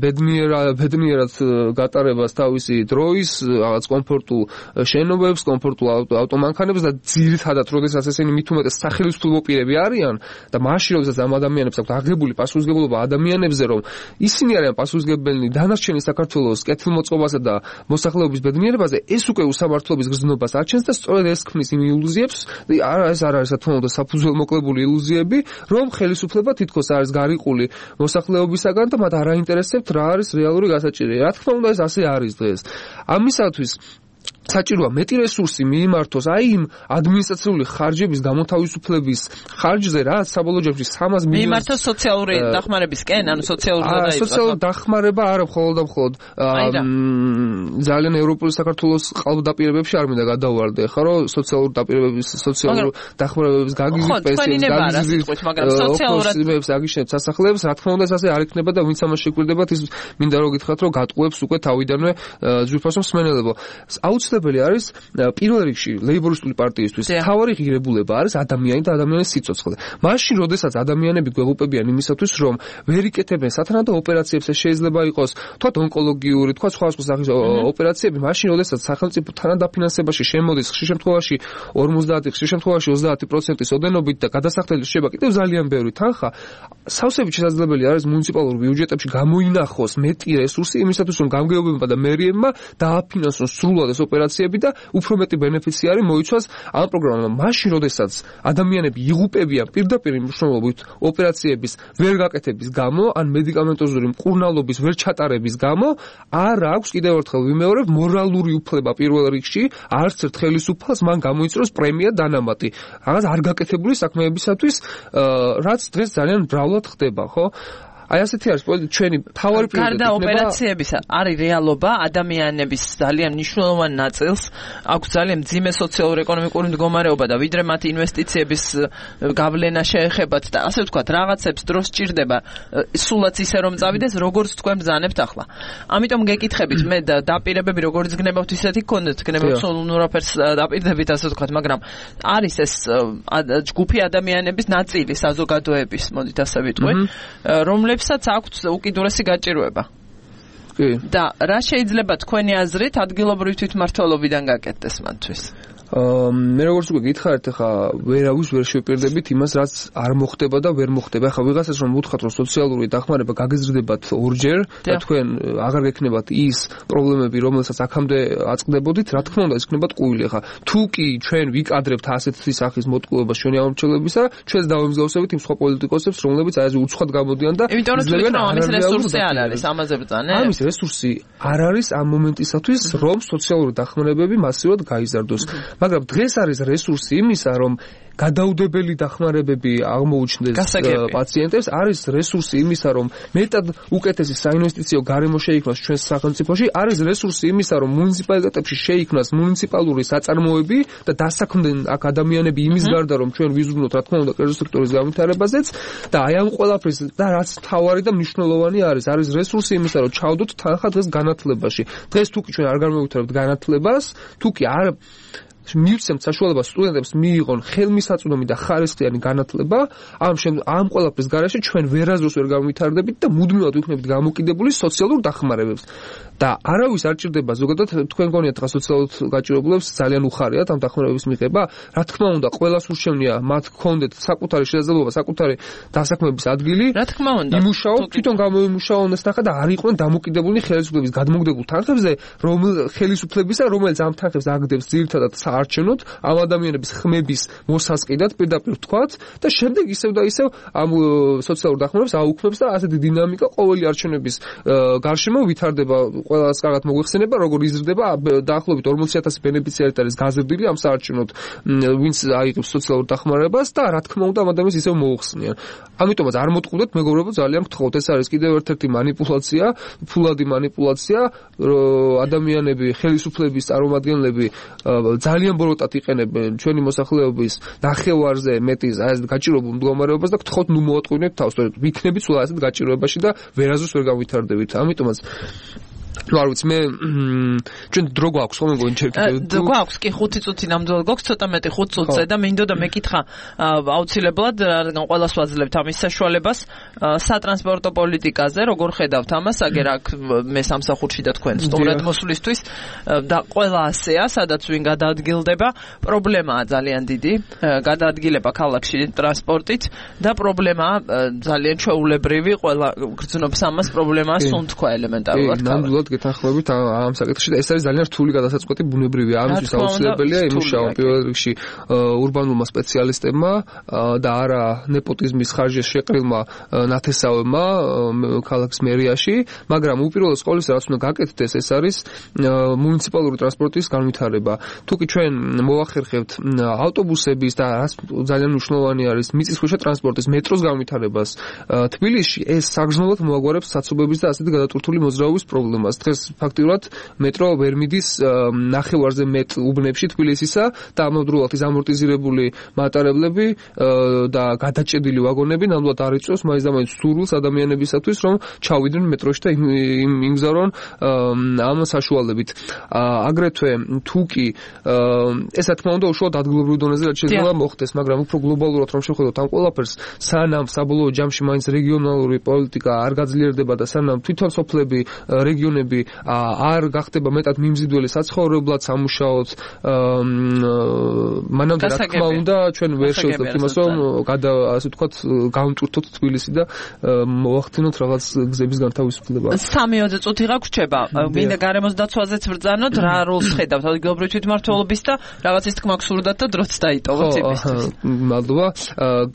ბედნიერად გატარებას თავისი დროის, რაღაც კომფორტულ შენობებს, კომფორტულ ავტომანქანებს და ძირითადად როდესაც ესენი მით უმეტეს სახელმწიფო პირები არიან და მაშინ როდესაც ამ ადამიანებს აქვს აღებული პასუხისმგებლობა ადამიანებზე, რომ ისინი არიან პასუხისმგებლები დანარჩენი საქართველოს კეთილმოწყობასა და მოსახლეობის ბედნიერებაზე, ეს უკვე უსამართლობის გრძნობას აჩენს და სწორედ ეს ქმნის იმ ილუზიებს, ეს არ არის რა თქმა უნდა საფუძველმოკლებული ილუზიები, რომ ხელისუფლება თითქოს არის გარიყული მოსახლეობისაგან და მათ არ აინტერესებთ რა არის რეალური გასაჭირი. რა თქმა უნდა ეს ასე არის დღეს. ამისათვის საჭიროა მეტი რესურსი მიიმართოს აი იმ ადმინისტრაციული ხარჯების გამოთავისუფლების ხარჯზე, რაც საბოლოო ჯამში 300 მილიონს მიიმართოს სოციალური დახმარებისკენ, ანუ სოციალური დახმარება არა მხოლოდ და მხოლოდ ძალიან ევროპული საქართველოს ყალბდაპირებებში არ მინდა გადავარდე, ხო რომ სოციალური დაპირებების, სოციალური დახმარებების გაგიზის პენსიების, მაგრამ სოციალურად აგიშენებს სასახლეებს, რა თქმა უნდა ეს ასე არ იქნება და ვინც ამას შეგვირდებათ, ის მინდა რომ გითხრათ, რომ გატყუებს უკვე თავიდანვე ძვირფასო მსმენელებო. აუცილებელი არის პირველ რიგში ლეიბორისტული პარტიისთვის მთავარი ღირებულება არის ადამიანი და ადამიანის სიცოცხლე. მაშინ, როდესაც ადამიანები გვეღუპებიან იმისათვის, რომ ვერ იკეთებენ სათანადო ოპერაციებს, ეს შეიძლება იყოს თქვათ ონკოლოგიური, თქვათ სხვა სახის ოპერაციები, მაშინ, როდესაც სახელმწიფო თანადაფინანსებაში შემოდის ხშირ შემთხვევაში 50, ხშირ შემთხვევაში 30%-ის ოდენობით და გადასახდელი შეიძლება კიდევ ძალიან ბევრი თანხა, სავსებით შესაძლებელი არის მუნიციპალურ ბიუჯეტებში გამოინახოს მეტი რესურსი იმისათვის, რომ გამგეობებმა და მერიებმა დააფინანსონ სრულად ეს ოპერაციები და უფრო მეტი ბენეფიციარი მოიცვას ამ პროგრამამ. მაშინ, როდესაც ადამიანები იღუპებიან პირდაპირ მნიშვნელობით ოპერაციების ვერ გაკეთების გამო, ან მედიკამენტოზური მკურნალობის ვერ ჩატარების გამო, არ აქვს კიდევ ერთხელ ვიმეორებ მორალური უფლება პირველ რიგში, არც ერთ ხელისუფალს მან გამოიწვიოს პრემია დანამატი. რაღაც არ გაკეთებული საქმეებისათვის, რაც დღეს ძალიან მრავლად ხდება, ხო? აი ასეთი არის ჩვენი თავარი პრიორიტეტი. გარდა ოპერაციებისა, არის რეალობა ადამიანების ძალიან მნიშვნელოვან ნაწილს აქვს ძალიან მძიმე სოციალურ-ეკონომიკური მდგომარეობა და ვიდრე მათ ინვესტიციების გავლენა შეეხებათ და ასე ვთქვათ, რაღაცებს დროს სჭირდება სულაც ისე რომ წავიდეს, როგორც თქვენ ბრძანებთ ახლა. ამიტომ გეკითხებით, მე დაპირებები როგორც გნებავთ ისეთი გქონდეთ, გნებავთ ნურაფერს დაპირდებით, ასე ვთქვათ, მაგრამ არის ეს ჯგუფი ადამიანების ნაწილი საზოგადოების, მოდით ასე ვიტყვი, რომლებსაც აქვთ უკიდურესი გაჭირვება. და რა შეიძლება თქვენი აზრით ადგილობრივი თვითმმართველობიდან გაკეთდეს მათთვის? მე როგორც უკვე გითხარით, ახლა ვერავის ვერ შევპირდებით იმას, რაც არ მოხდება და ვერ მოხდება. ახლა ვიღაცას რომ ვუთხრათ, რომ სოციალური დახმარება გაგეზრდებათ ორჯერ და თქვენ აღარ გექნებათ ის პრობლემები, რომელსაც აქამდე აწყდებოდით, რა თქმა უნდა, ეს იქნებათ ყუილი. ახლა თუ კი ჩვენ ვიკადრებთ ასეთი სახის მოტყუებას ჩვენი აღმოჩნდებისა, ჩვენს დავემსგავსებით იმ სხვა პოლიტიკოსებს, რომლებიც აი ესე უცხოდ გამოდიან და იძლევენ ამის რესურსი არ არის, ამაზე ბრძანე. ამის რესურსი არ არის ამ მომენტისათვის, რომ სოციალური დახმარებები მასიურად გაიზარდოს. მაგრამ დღეს არის რესურსი იმისა, რომ გადაუდებელი დახმარებები აღმოუჩნდეს პაციენტებს, არის რესურსი იმისა, რომ მეტად უკეთესი საინვესტიციო გარემო შეიქმნას ჩვენს სახელმწიფოში, არის რესურსი იმისა, რომ მუნიციპალიტეტებში შეიქმნას მუნიციპალური საწარმოები და დასაქმდნენ აქ ადამიანები იმის გარდა, რომ ჩვენ ვიზრუნოთ, რა თქმა უნდა, კერძო სექტორის განვითარებაზეც და აი ამ ყველაფრის და რაც მთავარი და მნიშვნელოვანი არის რესურსი იმისა, რომ ჩავდოთ თანხა დღეს განათლებაში. დღეს თუ კი ჩვენ არ განმევითარებთ განათლებას, თუ კი არ მივცემთ საშუალებას სტუდენტებს მიიღონ ხელმისაწვდომი და ხარისხიანი განათლება, ამ ყველაფრის გარეშე ჩვენ ვერაზროს ვერ გამვითარდებით და მუდმივად ვიქნებით გამოკიდებული სოციალურ დახმარებებს. და არავის არ ჭირდება ზოგადად თქვენ გონიათ რა სოციალურად გაჭირებულებს ძალიან უხარიათ ამ დახმარების მიღება. რა თქმა უნდა, ყველას ურჩევნია მათ გქონდეთ საკუთარი შესაძლებლობა, საკუთარი დასაქმების ადგილი. რა თქმა უნდა, იმუშაოთ, თვითონ გამოიმუშაონ ეს თანხა და არ იყვნენ დამოკიდებული ხელისუფლების გადმოგდებულ თანხებზე, ხელისუფლებისა, რომელიც ამ თანხებს აგდებს ძირითადად საარჩევნოდ, ამ ადამიანების ხმების მოსასყიდად პირდაპირ ვთქვათ და შემდეგ ისევ და ისევ ამ სოციალურ დახმარებას აუქმებს და ასეთი დინამიკა ყოველი არჩევნების გარშემო ვითარდება. ყველას კარგად მოგვიხსენება, როგორ იზრდება დაახლოებით 40,000 ბენეფიციარი არის გაზრდილი ამ საარჩევნოდ, ვინც აიღებს სოციალურ დახმარებას და რა თქმა უნდა ამ ადამიანს ისევ მოუხსნიან. ამიტომაც არ მოტყუდეთ მეგობრებო, ძალიან გთხოვთ, ეს არის კიდევ ერთ-ერთი манипуляция, ფულადი манипуляция, ადამიანები, ხელისუფლების წარმომადგენლები ძალიან ბოროტად იყენებენ ჩვენი მოსახლეობის ნახევარზე მეტის ეს გაჭირებულ მდგომარეობას და გთხოვთ ნუ მოატყუინეთ თავს, ვიქნებით სულ ასეთ გაჭიროებაში და ვერაზოს ვერ გავითარდებით. ამიტომაც არ ვიცი მე ჩვენ დრო გვაქვს ხოლმე გონჩერ კიდევ გვაქვს კი 5 წუთი ნამდვილად გვაქვს ცოტა მეტი 5 წუთზე და მინდოდა მეკითხა აუცილებლად რადგან ყველას ვაძლევთ ამის საშუალებას სატრანსპორტო პოლიტიკაზე როგორ ხედავთ ამას აგერ აქ მე სამსახურში და თქვენ სტუმრად მოსვლისთვის და ყველა ასეა სადაც ვინ გადაადგილდება პრობლემაა ძალიან დიდი გადაადგილება ქალაქში ტრანსპორტით და პრობლემაა ძალიან ჩვეულებრივი ყველა გრძნობს ამას პრობლემაა სუნთქვა ელემენტარულად ნამდვილად გეთანხმებით ამ საკითხში და ეს არის ძალიან რთული გადასაწყვეტი ბუნებრივია ამისთვის აუცილებელია იმუშავა პირველ რიგში ურბანულმა სპეციალისტებმა და არა ნეპოტიზმის ხარჯზე შეყრილმა ნათესავებმა ქალაქის მერიაში მაგრამ უპირველეს ყოვლისა რაც უნდა გაკეთდეს ეს არის მუნიციპალური ტრანსპორტის განვითარება თუ კი ჩვენ მოახერხებთ ავტობუსების და რაც ძალიან მნიშვნელოვანი არის მიწისქვეშა ტრანსპორტის მეტროს განვითარებას თბილისში ეს საგრძნობლად მოაგვარებს საცობების და ასეთი გადატვირთული მოძრაობის პრობლემას დღეს ფაქტიურად მეტრო ვერ მიდის ნახევარზე მეტ უბნებში თბილისისა და ამავდროულად ის ამორტიზირებული მატარებლები და გადაჭედილი ვაგონები ნამდვილად არ იწვევს მაინც და მაინც სურვილს ადამიანებისათვის რომ ჩავიდნენ მეტროში და იმგზავრონ ამ საშუალებით აგრეთვე თუ კი ეს რა თქმა უნდა უშუალოდ ადგილობრივ დონეზე რაც შეიძლება მოხდეს მაგრამ უფრო გლობალურად რომ შევხედოთ ამ ყველაფერს სანამ საბოლოო ჯამში მაინც რეგიონალური პოლიტიკა არ გაძლიერდება და სანამ თვითონ სოფლები რეგიონები არ გახდება მეტად მიმზიდველი საცხოვრებლად სამუშაოდ მანამდე რა თქმა უნდა ჩვენ ვერ შევძლებთ იმას რომ ასე ვთქვათ გავიმტვირთოთ თბილისი და მოახდინოთ რაღაც გზების განთავისუფლება 3-20 წუთი გაგვრჩება მინდა გარემოს დაცვაზეც ბრძანოთ რა როლს ხედავთ ადგილობრივი თვითმმართველობის და რაღაცის თქმა გსურდათ და დროც დაიტოვოთ იმისთვის მადლობა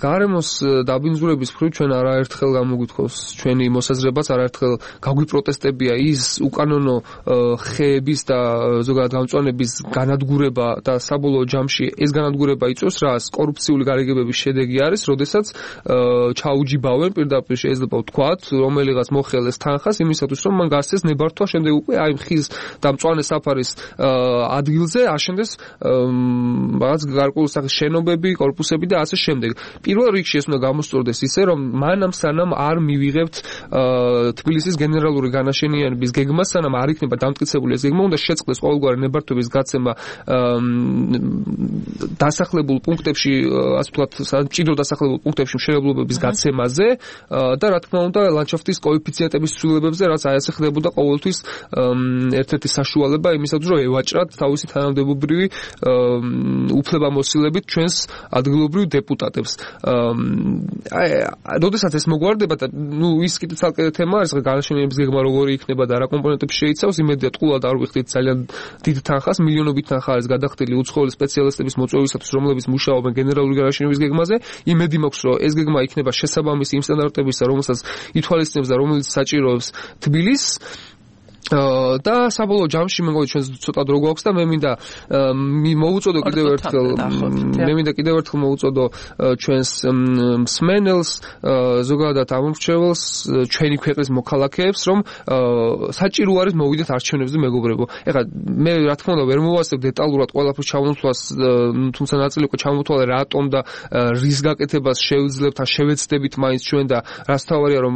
გარემოს დაბინძურების მხრივ ჩვენ არაერთხელ გამოგვითხოვს ჩვენი მოსაზრებაც არაერთხელ გაგვიპროტესტებია ის უკანონო ხეების და ზოგადად გამწვანების განადგურება და საბოლოო ჯამში ეს განადგურება იწვევს რას კორუფციული გარიგებების შედეგი არის, როდესაც ჩაუჯიბავენ პირდაპირ შეიძლება ვთქვათ, რომელიღაც მოხელეს თანხას იმისათვის რომ მან გასცეს ნებართვა შემდეგ უკვე აი ხის და მწვანე საფარის ადგილზე აშენდეს რაღაც გარკვეული სახის შენობები, კორპუსები და ასე შემდეგ. პირველ რიგში ეს უნდა გამოსწორდეს ისე რომ მანამ სანამ არ მივიღებთ თბილისის გენერალური განაშენიანების გეგმას, სანამ არ იქნება დამტკიცებული ეს გეგმა, უნდა შეწყდეს ყოველგვარი ნებართვების გაცემა დასახლებულ პუნქტებში, ასე ვთქვათ, მჭიდრო დასახლებულ პუნქტებში მშენებლობების გაცემაზე და რა თქმა უნდა ლანდშაფტის კოეფიციენტების ცვლილებებზე, რაც აი ასე ხდებოდა ყოველთვის ერთ-ერთი საშუალება იმისათვის, რომ ევაჭრათ თავისი თანამდებობრივი უფლებამოსილებით ჩვენს ადგილობრივ დეპუტატებს. როდესაც ეს მოგვარდება და ის კიდე ცალკე თემა არის, განაშენიანების გეგმა როგორი იქნება და რა კომპონენტები შეიცავს, იმედია ტყუილად არ ვიხდით ძალიან დიდ თანხას, მილიონობით თანხა არის გადახდილი უცხოელი სპეციალისტების მოწვევისათვის, რომლებიც მუშაობენ გენერალური განაშენიანების გეგმაზე. იმედი მაქვს, რომ ეს გეგმა იქნება შესაბამისი იმ სტანდარტებისა, რომელსაც ითვალისწინებს და რომელიც საჭიროებს თბილისს. და საბოლოო ჯამში მე მგონი ჩვენ ცოტა დრო გვაქვს და მე მინდა მოვუწოდო კიდევ ერთხელ მოვუწოდო ჩვენს მსმენელს ზოგადად ამორჩეველს ჩვენი ქვეყნის მოქალაქეებს რომ საჭირო არის მოვიდეთ არჩევნებზე მეგობრებო. ეხლა მე რა თქმა უნდა ვერ მოვასწრებ დეტალურად ყველაფერს ჩამოთვლას, თუმცა ნაწილი უკვე ჩამოთვალე რატომ და რის გაკეთებას შევძლებთ ან შევეცდებით მაინც ჩვენ და რაც თავარია რომ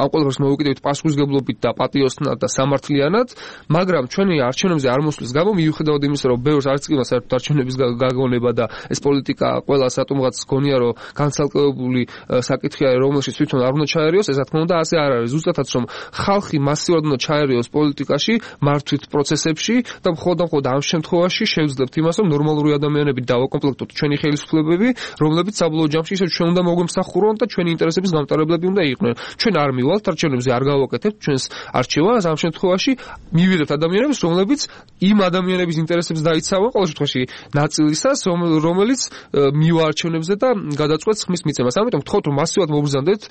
ამ ყველაფერს მოვიკიდებით პასუხისგებლობით და პატიოსნად და სამართლიანად, მაგრამ ჩვენი არჩევნებზე არ მოსვლის გამო მიუხედავად იმისა, რომ ბევრს არც კი მას არჩევნების გაგონება და ეს პოლიტიკა ყველა სატუმღაც გონია, რომ განცალკევებული საკითხი არის, რომელშიც თვითონ არ უნდა ჩაერიოს, ეს რა თქმა უნდა ასე არ არის. ზუსტადაც რომ ხალხი მასიურად უნდა ჩაერიოს პოლიტიკაში, მართვით პროცესებში და მხოლოდ ამ შემთხვევაში შევძლებთ იმას, რომ ნორმალური ადამიანები დავაკომპლექტოთ ჩვენი ხელისუფლებები, რომლებიც საბოლოო ჯამში ისევ ჩვენ უნდა მოგვემსახურონ და ჩვენი ინტერესების გამტარებლები უნდა იყვნენ. ჩვენ არ მივალთ არჩევნებზე, არ გავაკეთებთ ჩვენს არჩევას ამ შემთხვევაში შემთხვევაში მივიღებთ ადამიანებს, რომლებიც იმ ადამიანების ინტერესებს დაიცავენ ყოველ შემთხვევაში ნაწილისას, რომელიც მიუარჩევნებზე და გადაწყვეტს ხმის მიცემას. ამიტომ ვთხოვთ, რომ მასიურად მობრძანდეთ.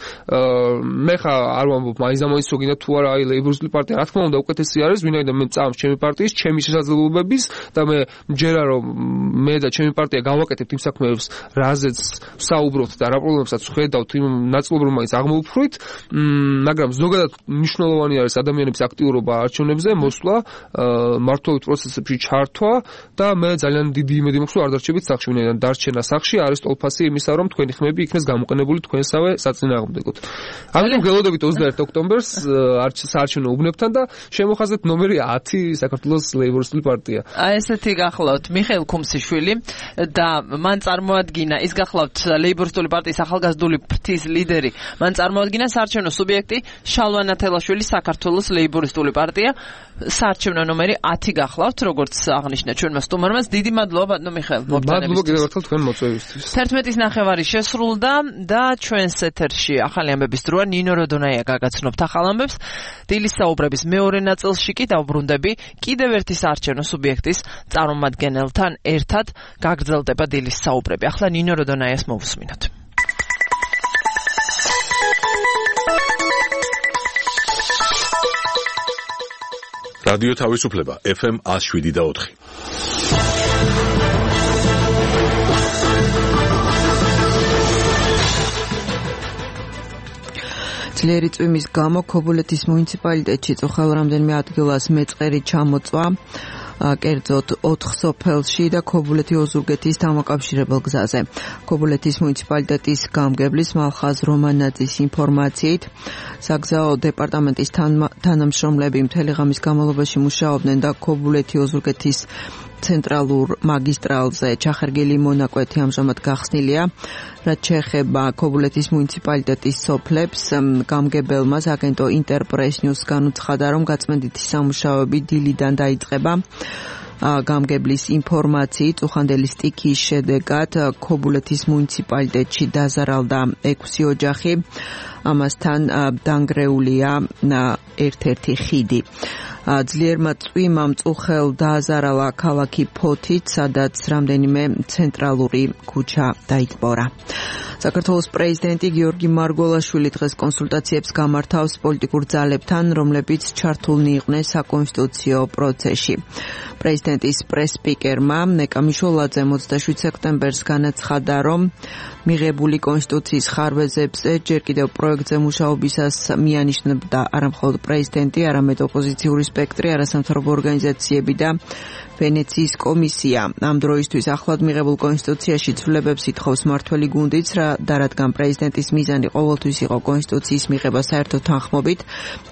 მე ხა არ ვამბობ მაინც გინდა თუ არა ლეიბორისტული პარტია, რა თქმა უნდა, უკეთესი არის, ვინაიდან მე წამს ჩემი პარტიის, ჩემი შესაძლებლობების და მე მჯერა რომ მე და ჩემი პარტია გავაკეთებთ იმ საქმეებს, რაზეც საუბრობთ და რა პრობლემებსაც ხედავთ იმ ნაწილობრივ მაინც აღმოუფრვით, მაგრამ ზოგადად მნიშვნელოვანი არის ადამიანების აქტიურობა არჩევნებზე, მოსვლა, მმართველობის პროცესებში ჩართვა და მე ძალიან დიდი იმედი მაქვს, რომ არ დარჩებით სახლში, ვინაიდან დარჩენა სახლში არის ტოლფასი იმისა, რომ თქვენი ხმები იქნეს გამოყენებული თქვენსავე საწინააღმდეგოდ. ამიტომ გელოდებით 21 ოქტომბერს საარჩევნო უბნებთან და შემოხაზეთ ნომერი 10 საქართველოს ლეიბორისტული პარტია. ესეთი გახლავთ მიხეილ ქუმსიშვილი და მან წარმოადგინა, ის გახლავთ ლეიბორისტული პარტიის ახალგაზრდული ფრთის ლიდერი, მან წარმოადგინა საარჩევნო სუბიექტი შალვა ნათელაშვილი საქართველოს ლეიბორისტული პარტია. საარჩევნო ნომერი 10 გახლავთ, როგორც აღნიშნა ჩვენმა სტუმარმა. დიდი მადლობა ბატონო მიხეილ. მადლობა კიდევ ერთხელ თქვენ მოწვევისთვის. 11:09 შესრულდა და ჩვენს ეთერში ახალი ამბების დროა. ნინო როდონაია გაგაცნობთ ახალ ამბებს. დილის საუბრების მეორე ნაწილში კი დავბრუნდები კიდევ ერთი საარჩევნო სუბიექტის წარმომადგენელთან ერთად გაგრძელდება დილის საუბრები. ახლა ნინო როდონაიას მოვუსმინოთ. რადიო თავისუფლება FM 107.4. ძლიერი წვიმის გამო ქობულეთის მუნიციპალიტეტში წუხელ რამდენიმე ადგილას მეწყერი ჩამოწვა, კერძოდ 4 სოფელში და ქობულეთი ოზურგეთის დამაკავშირებელ გზაზე. ქობულეთის მუნიციპალიტეტის გამგებლის მალხაზ რომანაძის ინფორმაციით, საგზაო დეპარტამენტის თანამშრომლები მთელი ღამის განმავლობაში მუშაობდნენ და ქობულეთი ოზურგეთის ცენტრალურ მაგისტრალზე ჩახერგილი მონაკვეთი ამჟამად გახსნილია. რაც შეეხება ქობულეთის მუნიციპალიტეტის სოფლებს, გამგებელმა აგენტო ინტერპრეს ნიუს განუცხადა, რომ გაწმენდითი სამუშაოები დილიდან დაიწყება. გამგებლის ინფორმაციით, უხანდელი სტიქიის შედეგად ქობულეთის მუნიციპალიტეტში დაზარალდა 6 ოჯახი, ამასთან დანგრეულია ერთ-ერთი ხიდი. ძლიერმა წვიმამ წუხელ დააზარალა ქალაქი ფოთით, სადაც რამდენიმე ცენტრალური ქუჩა დაიტბორა. საქართველოს პრეზიდენტი გიორგი მარგველაშვილი დღეს კონსულტაციებს გამართავს პოლიტიკურ ძალებთან, რომლებიც ჩართულნი იყვნენ საკონსტიტუციო პროცესში. პრეზიდენტის პრეს-სპიკერმა ნეკა მიშოლაძე 27 სექტემბერს განაცხადა, რომ მიღებული კონსტიტუციის ხარვეზებზე ჯერ კიდევ პროექტზე მუშაობისას მიანიშნებდა არამხოლოდ პრეზიდენტი, არამედ ოპოზიციური სპექტრი, არასამთავრობო ორგანიზაციები და ვენეციის კომისია. ამ დროისთვის ახლად მიღებულ კონსტიტუციაში ცვლილებებს ითხოვს მმართველი გუნდიც, და რადგან პრეზიდენტის მიზანი ყოველთვის იყო კონსტიტუციის მიღება საერთო თანხმობით,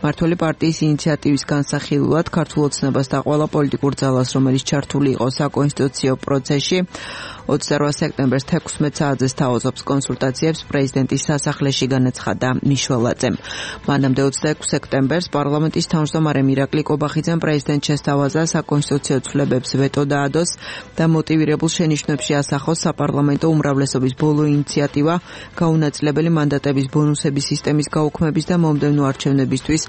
მმართველი პარტიის ინიციატივის განსახილულად ქართულ ოცნებას და ყველა პოლიტიკურ ძალას, რომელიც ჩართული იყო საკონსტიტუციო პროცესში, 28 სექტემბერს 16 საათზე სთავაზობს კონსულტაციებს პრეზიდენტის სასახლეში, განაცხადა მიშველაძემ. მანამდე 26 სექტემბერს პარლამენტის თავმჯდომარემ ირაკლი კობახიძემ პრეზიდენტს შესთავაზა საკონსტიტუციო ცვლილებებს ვეტო დაადოს და მოტივირებულ შენიშვნებში ასახოს საპარლამენტო უმრავლესობის ბოლო ინიციატივა გაუნაწილებელი მანდატების ბონუსების სისტემის გაუქმების და მომდევნო არჩევნებისთვის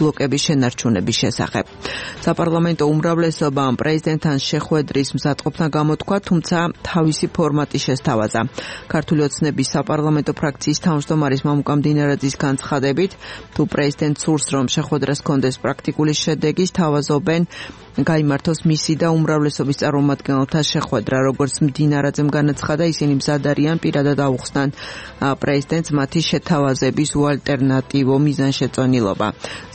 ბლოკების შენარჩუნების შესახებ. საპარლამენტო უმრავლესობამ პრეზიდენტთან შეხვედრის მზადყოფნა გამოთქვა, თუმცა თავისი ფორმატი შესთავაზა. ქართული ოცნების საპარლამენტო ფრაქციის თავმჯდომარის მამუკა მდინარაძის განცხადებით, თუ პრეზიდენტ სურს, რომ შეხვედრას კონდეს პრაქტიკული შედეგი, სთავაზობენ გაიმართოს მისი და უმრავლესობის წარმომადგენელთა შეხვედრა. როგორც მდინარაძემ განაცხადა, ისინი მზად არიან პირადად აუხსნან პრეზიდენტს მათი შეთავაზების უალტერნატივო მიზანშეწონილობა.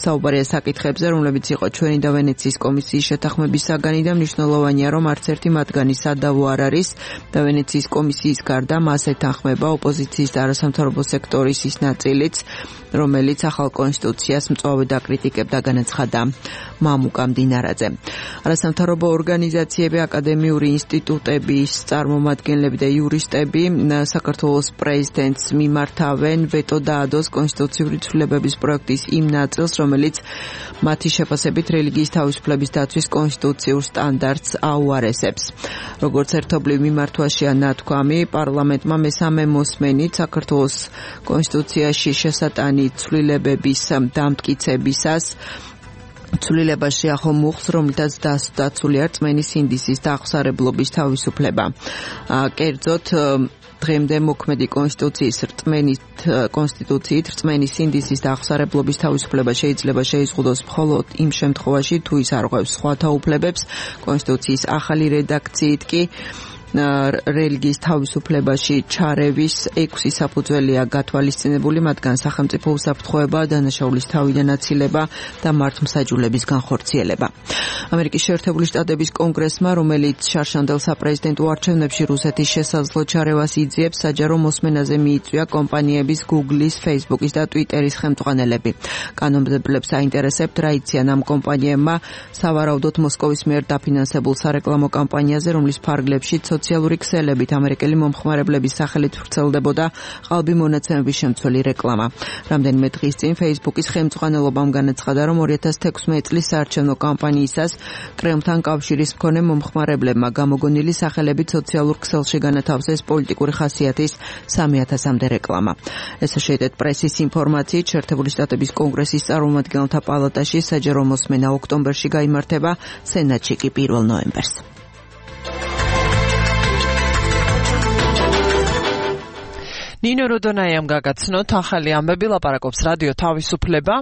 საუბარია საკითხებზე, რომლებიც იყო ჩვენი და ვენეციის კომისიის შეთანხმების საგანი და მნიშვნელოვანია, რომ არც ერთი მათგანი სადავო არ არის და ვენეციის კომისიის გარდა მას ეთანხმება ოპოზიციის და არასამთავრობო სექტორის ის ნაწილიც, რომელიც ახალ კონსტიტუციას მწვავედ აკრიტიკებდა, განაცხადა მამუკა მდინარაძე. არასამთავრობო ორგანიზაციები, აკადემიური ინსტიტუტების წარმომადგენლები და იურისტები საქართველოს პრეზიდენტს მიმართავენ ვეტო დაადოს კონსტიტუციური ცვლილებების პროექტის იმ ნაწილს, რომელიც მათი შეფასებით რელიგიის თავისუფლების დაცვის კონსტიტუციურ სტანდარტს აუარესებს. როგორც ერთობლივ მიმართვაშია ნათქვამი, პარლამენტმა მესამე მოსმენით საქართველოს კონსტიტუციაში შესატანი ცვლილებების დამტკიცებისას ცვლილებაში ახო მუხლს, რომლითაც დაცულია რწმენის ინდისის დაახსარებლობის თავისუფლება. კერძოდ დღემდე მოქმედი კონსტიტუციით რწმენის ინდისის დაახსარებლობის თავისუფლება შეიძლება შეიზღუდოს მხოლოდ იმ შემთხვევაში, თუ ის არ ღვევს სხვა თაუფლებებს. კონსტიტუციის ახალი რედაქციით კი რელიგიის თავისუფლებაში ჩარევის 6 საფუძველია გათვალისწინებული, მათგან სახელმწიფო უსაფრთხოება, დანაშაულის თავიდან აცილება და მართლმსაჯულების განხორციელება. ამერიკის შეერთებული შტატების კონგრესმა, რომელიც შარშანდელ საპრეზიდენტო არჩევნებში რუსეთის შესაძლო ჩარევას იძიებს, საჯარო მოსმენაზე მიიწვია კომპანიების Google-ის, Facebook-ის და Twitter-ის ხელმძღვანელები. კანონმდებლებს აინტერესებთ, რა იციან ამ კომპანიებმა სავარაუდოდ მოსკოვის მიერ დაფინანსებულ სარეკლამო კამპანიაზე, რომლის ფარგლებში სოციალური ქსელებით ამერიკელი მომხმარებლების სახელით ვრცელდებოდა ყალბი მონაცემების შემცველი რეკლამა. რამდენიმე დღის წინ Facebook-ის ხელმძღვანელობამ განაცხადა, რომ 2016 წლის საარჩევნო კამპანიისას კრემლთან კავშირის მქონე მომხმარებლებმა გამოგონილი სახელებით სოციალურ ქსელში განათავსეს პოლიტიკური ხასიათის 3000-მდე რეკლამა. Associated Press-ის ინფორმაციით, შეერთებული შტატების კონგრესის წარმომადგენელთა პალატაში საჯარო მოსმენა ოქტომბერში გაიმართება, სენატში კი 1 ნოემბერს. ნინო როდონაიამ გაგაცნოთ ახალი ამბები, ლაპარაკობს რადიო თავისუფლება.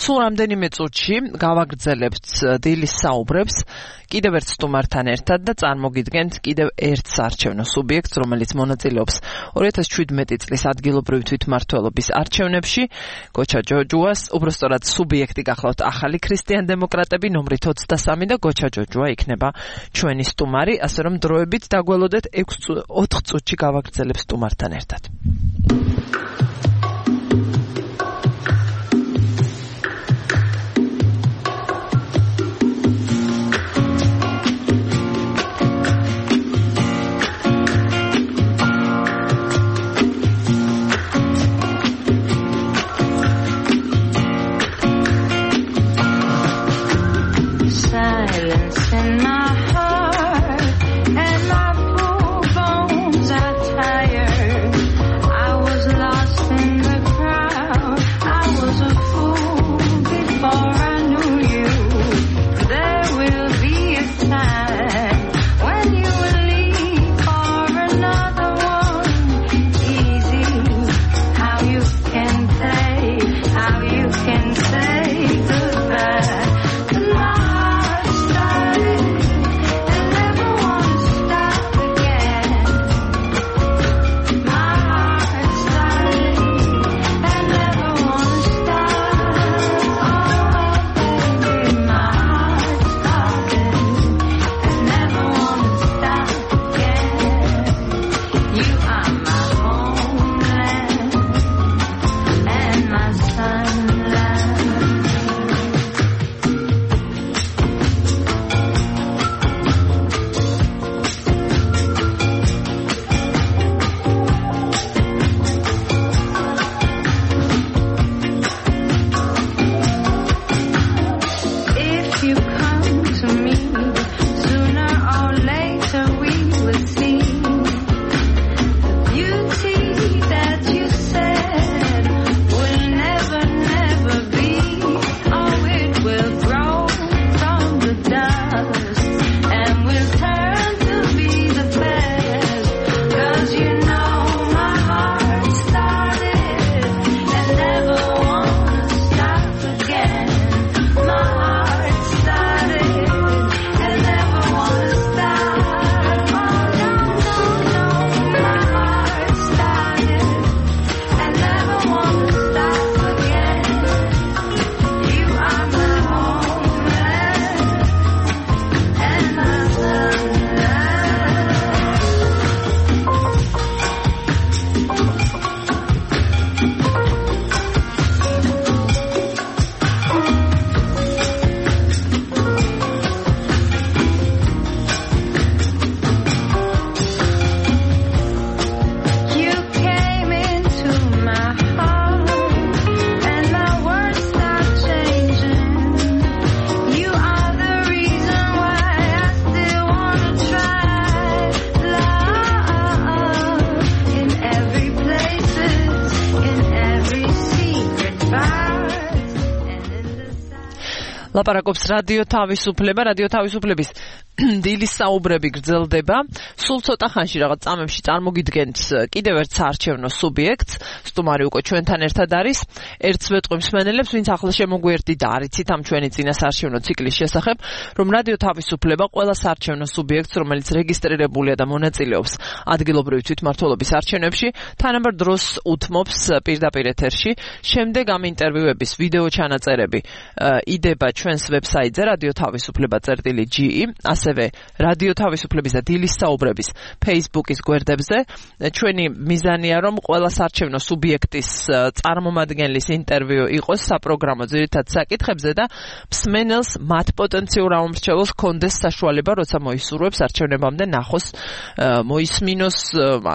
სულ რამდენიმე წუთში გავაგრძელებთ დილის საუბრებს კიდევ ერთ სტუმართან ერთად და წარმოგიდგენთ კიდევ ერთ საარჩევნო სუბიექტს, რომელიც მონაწილეობს 2017 წლის ადგილობრივი თვითმმართველობის არჩევნებში. გოჩა ჯოჯუას, უბრალოდ სუბიექტი გახლავთ ახალი ქრისტიან-დემოკრატები, ნომრით 23 და გოჩა ჯოჯუა იქნება ჩვენი სტუმარი, ასე რომ დროებით დაგველოდეთ 4 წუთში გავაგრძელებ სტუმართან ერთად. Lost ლაპარაკობს რადიო თავისუფლება, რადიო თავისუფლების დილის საუბრები გრძელდება. სულ ცოტა ხანში რაღაც წამებში წარმოგიდგენთ კიდევ ერთ საარჩევნო სუბიექტს. სტუმარი უკვე ჩვენთან ერთად არის. ერთს ვეტყვი მსმენელებს, ვინც ახლა შემოგვიერთდი და არიცით ამ ჩვენი წინა საარჩევნო ციკლის შესახებ, რომ რადიო თავისუფლება ყველა საარჩევნო სუბიექტს, რომელიც რეგისტრირებულია და მონაწილეობს ადგილობრივი თვითმმართველობის არჩევნებში, თანაბარ დროს უთმობს პირდაპირ ეთერში. შემდეგ ამ ინტერვიუების ვიდეო ჩანაწერები იდება ჩვენს ვებსაიტზე radiotavisufleba.ge, ასევე რადიო თავისუფლების და დილის საუბრების Facebook-ის გვერდებზე. ჩვენი მიზანია, რომ ყველა საარჩევნო სუბიექტის წარმომადგენლის ინტერვიუ იყოს საპროგრამო ძირითად საკითხებზე და მსმენელს მათ პოტენციურ ამომრჩეველს ჰქონდეს საშუალება, როცა მოისურვებს არჩევნებამდე ნახოს, მოისმინოს,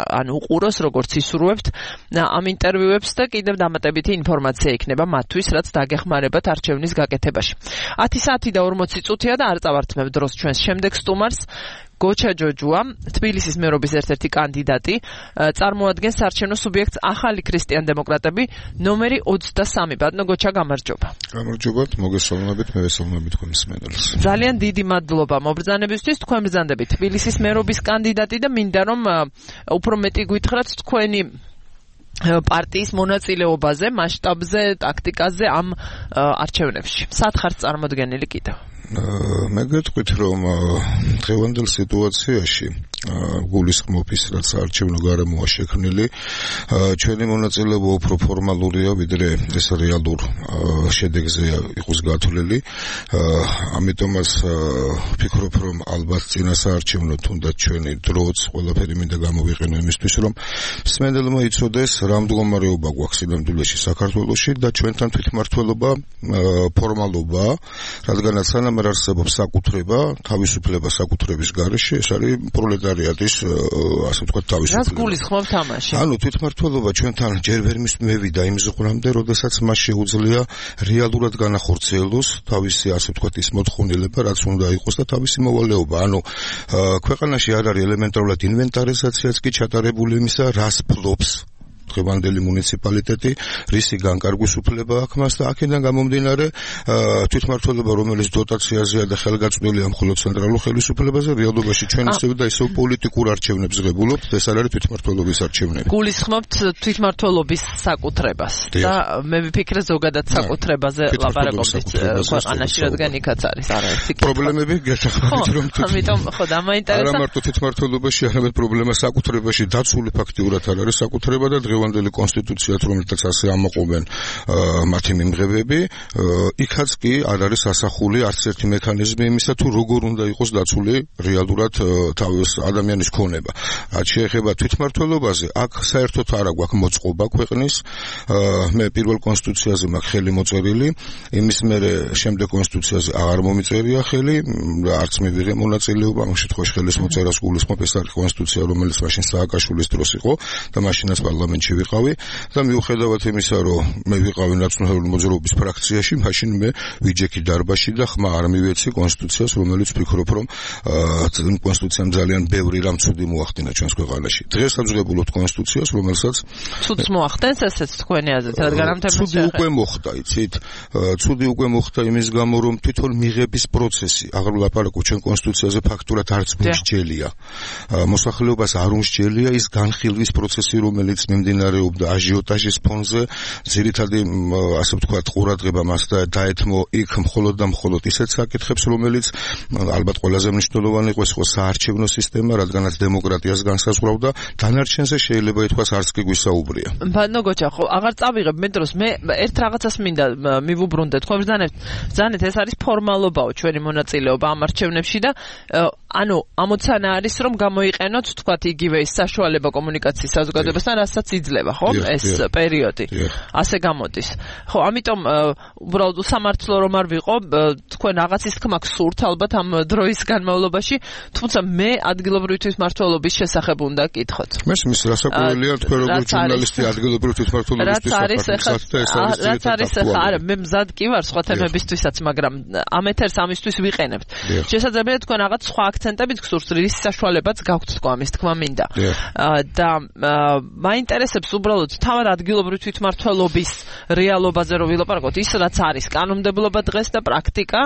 ან უყუროს, როგორც ისურვებთ ამ ინტერვიუებს და კიდევ დამატებითი ინფორმაცია იქნება მათთვის, რაც დაგეხმარებათ არჩევნის გაკეთებაში. 10 საათი და 40 წუთია და არ წავართმევ დროს ჩვენს შემდეგ სტუმარს. გოჩა ჯოჯუა, თბილისის მერობის ერთ-ერთი კანდიდატი, წარმოადგენს საარჩევნო სუბიექტს ახალი ქრისტიან-დემოკრატები, ნომერი 23. ბატონო გოჩა, გამარჯობა. გამარჯობათ, მოგესალმებით, მე ვესალმებით თქვენ მსმენელს. ძალიან დიდი მადლობა მობრძანებისთვის, თქვენ ბრძანდებით თბილისის მერობის კანდიდატი და მინდა რომ უფრო მეტი გითხრათ თქვენი პარტიის მონაწილეობაზე, მასშტაბზე, ტაქტიკაზე ამ არჩევნებში. სათხარს წარმოდგენილი კიდევ. მე გეტყვით, რომ დღევანდელ სიტუაციაში გულისხმობის რაც არჩევნო გარემოა შექმნილი, ჩვენი მონაწილეობა უფრო ფორმალურია, ვიდრე ეს რეალურ შედეგზე იყოს გათვლილი. ამიტომაც ვფიქრობ, რომ ალბათ წინა საარჩევნო თუნდაც ჩვენი დროც ყველაფერი მინდა გამოვიყენო იმისთვის, რომ მსმენელმა იცოდეს, რა მდგომარეობა გვაქვს სინამდვილეში საქართველოში და ჩვენთან თვითმმართველობა ფორმალობა, რადგანაც სანამ არ არსებობს საკუთრება, თავისუფლება საკუთრების გარეშე, ეს არის პროლეტარიატის, ასე ვთქვათ, თავისუფლება. რას გულისხმობთ ამაში? ანუ თვითმმართველობა ჩვენთან ჯერ ვერ მივიდა იმ ზღვრამდე, როდესაც მას შეუძლია რეალურად განახორციელოს თავისი, ასე ვთქვათ, ის მოთხოვნილება, რაც უნდა იყოს და თავისი მოვალეობა. ანუ ქვეყანაში არ არის ელემენტარულად ინვენტარიზაციაც კი ჩატარებული იმისა, რას ფლობს დღევანდელი მუნიციპალიტეტი, რისი განკარგვის უფლება აქვს მას და აქედან გამომდინარე თვითმმართველობა, რომელიც დოტაციაზეა და ხელგაწვდილია მხოლოდ ცენტრალურ ხელისუფლებაზე, რეალობაში ჩვენ ისევ და ისევ პოლიტიკურ არჩევნებს ღებულობთ, ეს არ არის თვითმმართველობის არჩევნები. გულისხმობთ თვითმმართველობის საკუთრებას და მე ვიფიქრე ზოგადად საკუთრებაზე ლაპარაკობთ ქვეყანაში, რადგან იქაც არის არაერთი პრობლემები გესახმებით, რომ ამიტომ ხო დამაინტერესა. არა მარტო თვითმმართველობაში, არამედ პრობლემა საკუთრებაში დაცული ფაქტიურად არ არის საკუთრება და დღევანდელი კონსტიტუციაც, რომელთაც ასე ამოყობენ მათი მიმღებები, იქაც კი არ არის ასახული არც ერთი მექანიზმი იმისა, თუ როგორ უნდა იყოს დაცული რეალურად თავის ადამიანის ქონება. რაც შეეხება თვითმმართველობაზე, აქ საერთოდ არ აქვს მოწყობა ქვეყნის. მე პირველ კონსტიტუციაზე მაქვს ხელი მოწერილი, იმის მერე შემდეგ კონსტიტუციაზე აღარ მომიწერია ხელი, არც მივიღე მონაწილეობა, ამ შემთხვევაში ხელის მოწერას გულისხმობ, ეს არის კონსტიტუცია, რომელიც მაშინ სააკაშვილის დროს იყო და მაშინაც პარლამენტში ვიყავი და მიუხედავად იმისა, რომ მე ვიყავი ნაციონალური მოძრაობის ფრაქციაში, მაშინ მე ვიჯექი დარბაში და ხმა არ მივეცი კონსტიტუციას, რომელიც ვფიქრობ, რომ კონსტიტუციამ ძალიან ბევრი რამ ცუდი მოახდინა ჩვენს ქვეყანაში. დღეს აძღებულობთ კონსტიტუციას, რომელსაც ცუდს მოახდენს, ესეც თქვენი აზრით, რადგან ამ თემას ცუდი უკვე მოხდა, იცით? ცუდი უკვე მოხდა იმის გამო, რომ თვითონ მიღების პროცესი, აღარ ვლაპარაკობ ჩვენ კონსტიტუციაზე ფაქტურად არც მსჯელია. მოსახლეობას არ უმსჯელია ის განხილვის პროცესი, რომელიც მიმდინარეობდა აჟიოტაჟის ფონზე, ძირითადი, ასე ვთქვათ, ყურადღება მას დაეთმო იქ მხოლოდ და მხოლოდ ისეთ საკითხებს, რომელიც ალბათ ყველაზე მნიშვნელოვანი იყო, ეს იყო საარჩევნო სისტემა, რადგანაც დემოკრატიას განსაზღვრავდა, დანარჩენზე შეიძლება ითქვას არც კი გვისაუბრია. ბატონო გოჩა, ხო, აღარ წავიღებ მე დროს, მე ერთ რაღაცას მინდა მივუბრუნდე, თქვენ ბრძანეთ, ეს არის ფორმალობაო ჩვენი მონაწილეობა ამ არჩევნებში და ანუ ამოცანა არის, რომ გამოიყენოთ, თქვათ, იგივე ის საშუალება კომუნიკაციის საზოგადოებასთან, რასაც იძლევა, ხო, ეს პერიოდი. ასე გამოდის. ხო, ამიტომ უბრალოდ სამართლო რომ არ ვიყო, თქვენ რაღაცის თქმა გსურთ ალბათ ამ დროის განმავლობაში, თუმცა მე ადგილობრივი თვითმმართველობის შესახებ უნდა გკითხოთ. მესმის რასაკვირველია, თქვენ როგორც ჟურნალისტი ადგილობრივი თვითმმართველობისთვის რაც არის ახლა, არა, მე მზად კი ვარ სხვა თემებისთვისაც, მაგრამ ამ ეთერს ამისთვის ვიყენებთ. შესაძლებელია თქვენ რაღაც სხვა აქცენტებით გსურს, რის საშუალებაც გაქვთ თქვა ამის თქმა მინდა. და მაინტერესებს უბრალოდ თავად ადგილობრივი თვითმმართველობის რეალობაზე რომ ვილაპარაკოთ, ის რაც არის კანონმდებლობა დღეს და პრაქტიკა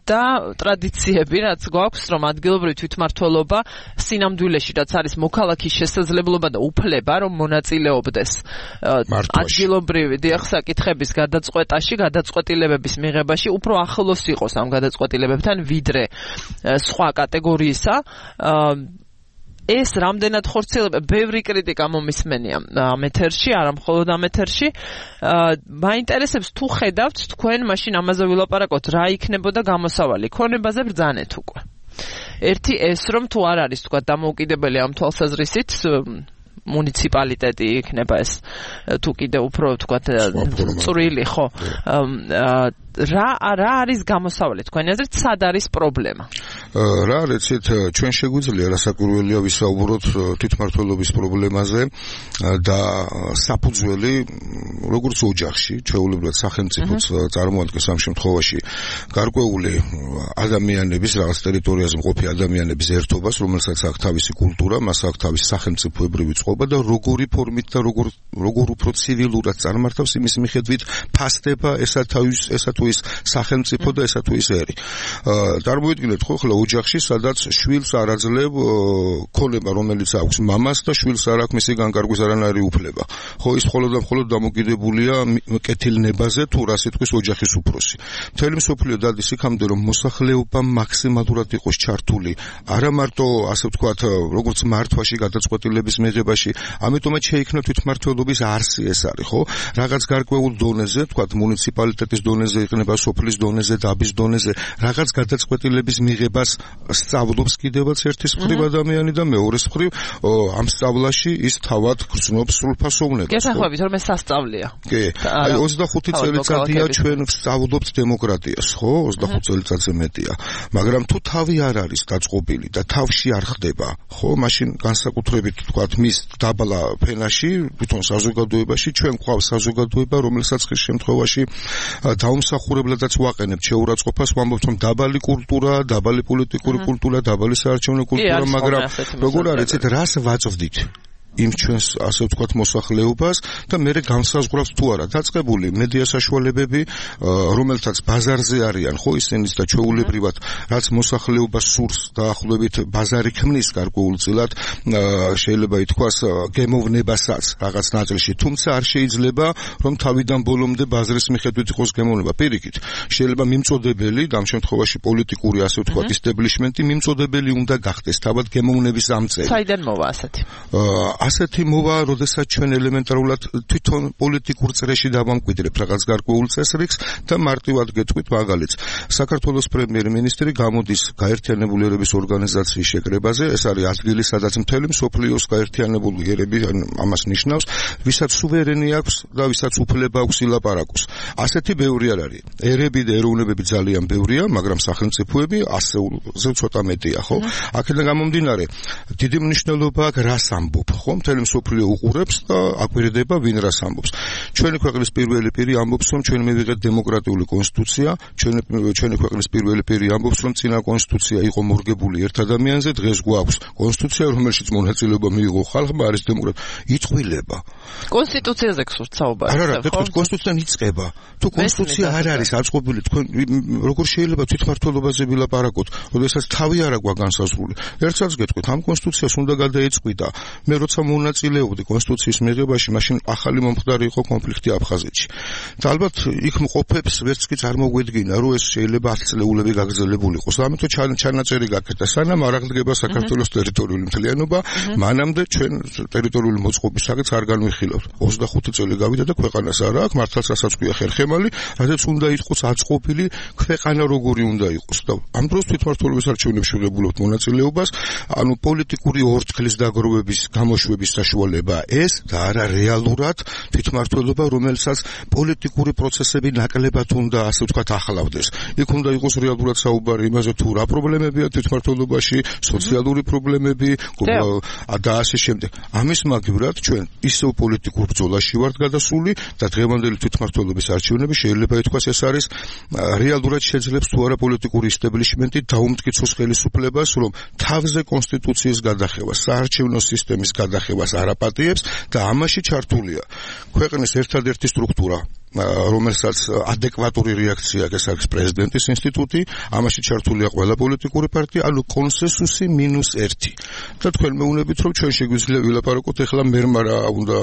და ტრადიციები, რაც გვაქვს, რომ ადგილობრივი თვითმმართველობა სინამდვილეში რაც არის მოქალაქის შესაძლებლობა და უფლება, რომ მონაწილეობდეს ადგილობრივი საკითხების გადაწყვეტაში, გადაწყვეტილებების მიღებაში, უფრო ახლოს იყოს ამ გადაწყვეტილებებთან ვიდრე სხვა კატეგორიისა. ეს რამდენად ხორციელდება, ბევრი კრიტიკა მომისმენია ამ ეთერში, არა მხოლოდ ამ ეთერში. მაინტერესებს თუ ხედავთ თქვენ მაშინ ამაზე ვილაპარაკოთ, რა იქნებოდა გამოსავალი ქონებაზე ბრძანეთ უკვე. ერთი ეს რომ თუ არ არის თქვა დამოუკიდებელი ამ თვალსაზრისით მუნიციპალიტეტი იქნება ეს თუ კიდე უფრო თქვა წვრილი ხო რა არის გამოსავალი თქვენი აზრით სად არის პრობლემა რა რეცით ჩვენ შეგვიძლია რასაკვირველია ვისაუბროთ თვითმმართველობის პრობლემაზე და საფუძველი როგორც ოჯახში ჩვეულებრივად სახელმწიფოც წარმოადგენს ამ შემთხვევაში გარკვეული ადამიანების რაღაც ტერიტორიაზე მყოფი ადამიანების ერთობას რომელსაც აქვს თავისი კულტურა მას აქვს თავისი სახელმწიფოებრივი წყობა და როგორი ფორმით და როგორ უფრო ცივილურად წარმართავს იმის მიხედვით ფასდება ესა თუ ის სახელმწიფო და ესა თუ ის ერი. წარმოვიდგინეთ ხო ხლა ოჯახში სადაც შვილს არ აძლევ ქონება რომელიც აქვს მამას და შვილს არ აქვს მისი განკარგვის არანაირი უფლება. ხო ის მხოლოდ და მხოლოდ დამოკიდებულია კეთილნებაზე თუ რა სიტყვის ოჯახის უფროსი. მთელი მსოფლიო დადის იქამდე რომ მოსახლეობა მაქსიმალურად იყოს ჩართული არა მარტო ასე ვთქვათ როგორც მართვაში გადაწყვეტილების მიღებაში ამიტომაც შეიქმნა თვითმმართველობის არსი ეს არის ხო რაღაც გარკვეულ დონეზე ვთქვათ მუნიციპალიტეტის დონეზე იქნება სოფლის დონეზე დაბის დონეზე რაღაც გადაწყვეტილების მიღებას სწავლობს კიდევაც ერთის მხრივ ადამიანი და მეორეს მხრივ ამ სწავლაში ის თავად გრძნობს სრულფასოვნებას გესახვევით რომ ეს სასწავლია კი აი 25 წელიწადია ჩვენ ვსწავლობთ დემოკრატიას ხო 25 წელიწადზე მეტია მაგრამ თუ თავი არ არის დაწყობილი და თავში არ ხდება ხო მაშინ განსაკუთრებით ვთქვათ მის დაბლა ფენაში თვითონ საზოგადოებაში ჩვენ გვყავს საზოგადოება რომელსაც ხის შემთხვევაში დაუმსახურებლადაც ვაყენებთ შეურაცხყოფას ვამბობთ რომ დაბალი კულტურა დაბალი პოლიტიკური კულტურა დაბალი საარჩევნო კულტურა მაგრამ როგორ არის იცით რას ვაწვდით იმ ჩვენს ასე ვთქვათ მოსახლეობას და მე განსაზღვრავს თუ არა დაწყებული მედია საშუალებები რომელთაც ბაზარზე არიან ხო ისინიც და ჩვეულებრივად რაც მოსახლეობას სურს დაახლოებით ბაზარი ქმნის გარკვეულწილად შეიძლება ითქვას გემოვნებასაც რაღაც ნაწილში თუმცა არ შეიძლება რომ თავიდან ბოლომდე ბაზრის მიხედვით იყოს გემოვნება პირიქით შეიძლება მიმწოდებელი და ამ შემთხვევაში პოლიტიკური ასე ვთქვათ ისტებლიშმენტი მიმწოდებელი უნდა გახდეს თავად გემოვნების ამწევი საიდან მოვა ასეთი ასეთი მოვა, როდესაც ჩვენ ელემენტარულად თვითონ პოლიტიკურ წრეში დავამკვიდრებთ რაღაც გარკვეულ წესრიგს და მარტივად გეტყვით მაგალითს. საქართველოს პრემიერ-მინისტრი გამოდის გაერთიანებული ერების ორგანიზაციის შეკრებაზე, ეს არის ადგილი, სადაც მთელი მსოფლიოს გაერთიანებული ერები ამას ნიშნავს, ვისაც სუვერენი აქვს და ვისაც უფლება აქვს ილაპარაკოს. ასეთი ბევრი არ არის. ერები და ეროვნებები ძალიან ბევრია, მაგრამ სახელმწიფოები ასეულზე ცოტა მეტია, ხო? აქედან გამომდინარე, დიდი მნიშვნელობა აქვს რას ამბობ, ხო? მთელი მსოფლიო უყურებს და აკვირდება ვინ რას ამბობს. ჩვენი ქვეყნის პირველი პირი ამბობს რომ ჩვენ მივიღეთ დემოკრატიული კონსტიტუცია, ჩვენი ქვეყნის პირველი პირი ამბობს რომ წინა კონსტიტუცია იყო მორგებული ერთ ადამიანზე, დღეს გვაქვს კონსტიტუცია, რომელშიც მონაწილეობა მიიღო ხალხმა, არის დემოკრატია. იტყვილება. კონსტიტუციაზე გსურთ საუბარი. არა, კონსტიტუციიდან იწყება. თუ კონსტიტუცია არ არის აწყობილი, თქვენ როგორ შეიძლება თვითმმართველობაზე ვილაპარაკოთ, როდესაც თავი არ აქვს განსაზღვრული. ერთსაც გეტყვით, ამ კონსტიტუციას უნდა გადაეწყვიტა. მე როცა მონაწილეობდი კონსტიტუციის მიღებაში, მაშინ ახალი მომხდარი იყო კონფლიქტი აფხაზეთში. და ალბათ იქ მყოფებს ვერც კი წარმოგვედგინა, რომ ეს შეიძლება 10 წლეულები გაგრძელებული იყოს. ამიტომ ჩანაწერი გაკეთდა, სანამ არ აღდგება საქართველოს ტერიტორიული მთლიანობა, მანამდე ჩვენ ტერიტორიული მოწყობის საკითხს არ განვიხილავთ. 25 წელი გავიდა და ქვეყანას არ აქვს, მართლაც რასაც ქვია ხერხემალი, რადგან უნდა იყოს აწყობილი ქვეყანა როგორი უნდა იყოს. და ამ დროს თვითმმართველობის არჩევნებში ვიღებულობთ მონაწილეობას, ანუ პოლიტიკური ორთქლის დაგროვების გამოშვება დაშვების საშუალება ეს და არა რეალურად თვითმმართველობა, რომელსაც პოლიტიკური პროცესები ნაკლებად უნდა, ასე ვთქვათ, ახლავდეს. იქ უნდა იყოს რეალურად საუბარი იმაზე, თუ რა პრობლემებია თვითმმართველობაში, სოციალური პრობლემები და ასე შემდეგ. ამის მაგივრად ჩვენ ისევ პოლიტიკურ ბრძოლაში ვართ გადასული და დღევანდელი თვითმმართველობის არჩევნები შეიძლება ითქვას ეს არის რეალურად შეძლებს თუ არა პოლიტიკური ისტაბლიშმენტი დაუმტკიცოს ხელისუფლებას, რომ თავზე კონსტიტუციის გადახევას, საარჩევნო სისტემის გადახევას არაპატიებს და ამაში ჩართულია ქვეყნის ერთადერთი სტრუქტურა, რომელსაც ადეკვატური რეაქცია აქვს, ეს არის პრეზიდენტის ინსტიტუტი, ამაში ჩართულია ყველა პოლიტიკური პარტია, ანუ კონსენსუსი -1. და თქვენ მეუბნებით, რომ ჩვენ შეგვიძლია ვილაპარაკოთ ახლა მერმა რა უნდა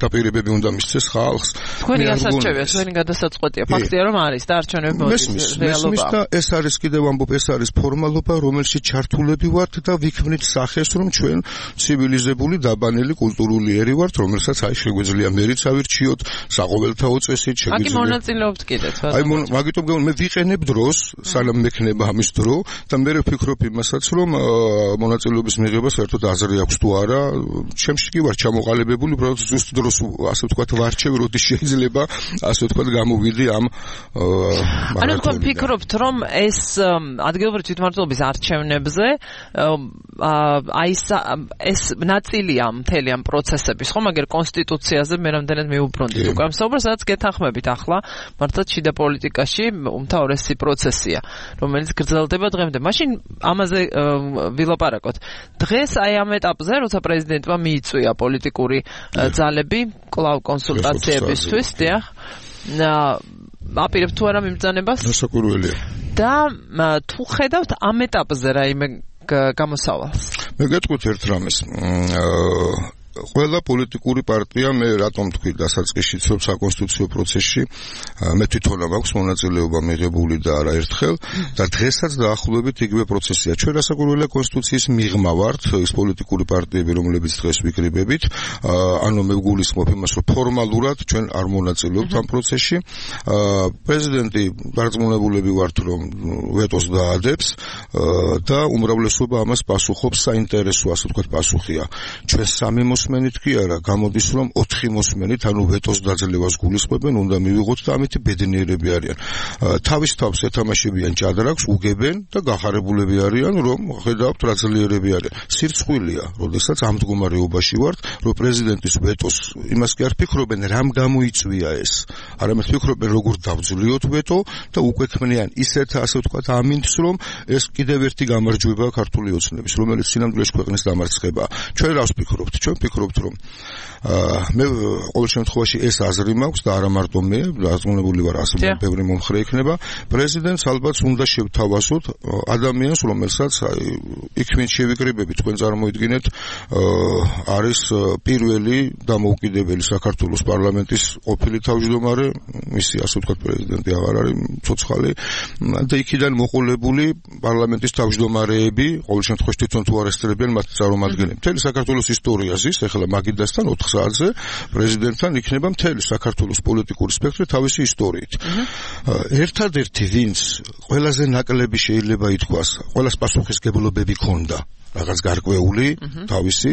დაპირებები უნდა მისცეს ხალხს. თქვენი ასარჩევია, თქვენი გადასაწყვეტია, ფაქტია რომ არის და არჩევნები მოდის რეალობაა. და ეს არის კიდევ ამბობ, ეს არის ფორმალობა, რომელშიც ჩართულები ვართ და ვიქმნით სახეს, რომ ჩვენ ცივილიზებული, დაბანელი, კულტურული ერი ვართ, რომელსაც აი შეგვიძლია მერიც ავირჩიოთ, საყოველთაო წესით აგი მონაწილეობთ კიდეც. აი მაგიტომ მე ვიყენებ დროს, სანამ მექნება ამის დრო და მე ვფიქრობ იმასაც, რომ მონაწილეობის მიღება საერთოდ აზრი აქვს თუ არა. ჩემში კი ვარ ჩამოყალიბებული, უბრალოდ ზუსტ დროს, ასე ვთქვათ, ვარჩევ, როდის შეიძლება, ასე ვთქვათ, გამოვიდი ამ ანუ თქვენ ფიქრობთ, რომ ეს ადგილობრივი თვითმმართველობის არჩევნებზე აი ეს ნაწილია მთელი ამ პროცესების, ხო, მაგრამ კონსტიტუციაზე მე რამდენად მიუბრუნდით უკვე ამ საუბარს, სადაც გეთანხმებით ახლა მართლაც შიდა პოლიტიკაში უმთავრესი პროცესია, რომელიც გრძელდება დღემდე. მაშინ ამაზე ვილაპარაკოთ. დღეს აი ამ ეტაპზე, როცა პრეზიდენტმა მიიწვია პოლიტიკური ძალები კლავ კონსულტაციებისთვის, დიახ, აპირებთ თუ არა მიმბრძანებას? დასაკვირველია. და თუ ხედავთ ამ ეტაპზე რაიმე გამოსავალს? მე გეტყვით ერთ რამეს. ყველა პოლიტიკური პარტია მე რატომ თქვი დასაწყისშიც რომ საკონსტიტუციო პროცესში მე თვითონ მაქვს მონაწილეობა მიღებული და არა ერთხელ და დღესაც დაახლოებით იგივე პროცესია. ჩვენ რასაკვირველია კონსტიტუციის მიღმა ვართ, ის პოლიტიკური პარტიები, რომლებიც დღეს ვიკრიბებით, ანუ მე ვგულისხმობ იმას, რომ ფორმალურად ჩვენ არ მონაწილეობთ ამ პროცესში. პრეზიდენტი დარწმუნებულები ვართ, რომ ვეტოს დაადებს და უმრავლესობა ამას პასუხობს, საინტერესო, ასე ვთქვათ, პასუხია. ჩვენ სამი მოსმენით კი არა, გამოდის რომ 4 მოსმენით, ანუ ვეტოს დაძლევას გულისხმობენ, უნდა მივიღოთ და ამით ბედნიერები არიან. თავის თავს ეთამაშებიან ჭადრაკს, უგებენ და გახარებულები არიან, რომ ხედავთ რა ძლიერები არიან. სირცხვილია, როდესაც ამ მდგომარეობაში ვართ, რომ პრეზიდენტის ვეტოს იმას კი არ ფიქრობენ, რამ გამოიწვია ეს. არამედ ფიქრობენ, როგორ დავძლიოთ ვეტო და უკვე ქმნიან ისეთ, ასე ვთქვათ, ამინდს, რომ ეს კიდევ ერთი გამარჯვება ქართული ოცნების, რომელიც სინამდვილეში ქვეყნის დამარცხებაა. ჩვენ რას ვფიქრობთ? ჩვენ ვფიქრობთ, რომ მე ყოველ შემთხვევაში ეს აზრი მაქვს და არა მარტო მე, დარწმუნებული ვარ, ასე ბევრი მომხრე იქნება. პრეზიდენტს ალბათ უნდა შევთავაზოთ ადამიანს, რომელსაც იქ ვინ შევიკრიბებით, თქვენ წარმოიდგინეთ, არის პირველი დამოუკიდებელი საქართველოს პარლამენტის ყოფილი თავმჯდომარე, მისი ასე ვთქვათ პრეზიდენტი აღარ არის ცოცხალი და იქიდან მოყოლებული პარლამენტის თავმჯდომარეები, ყოველ შემთხვევაში თვითონ თუ არესტირებიან მათ წარმომადგენლებს. მთელი საქართველოს ისტორია ზის, ეხლა მაგიდასთან 4 საათზე პრეზიდენტთან იქნება მთელი საქართველოს პოლიტიკური სპექტრი თავისი ისტორიით. ერთადერთი ვინც ყველაზე ნაკლები შეიძლება ითქვას, ყველას პასუხისგებლობები ქონდა რაღაც გარკვეული თავისი,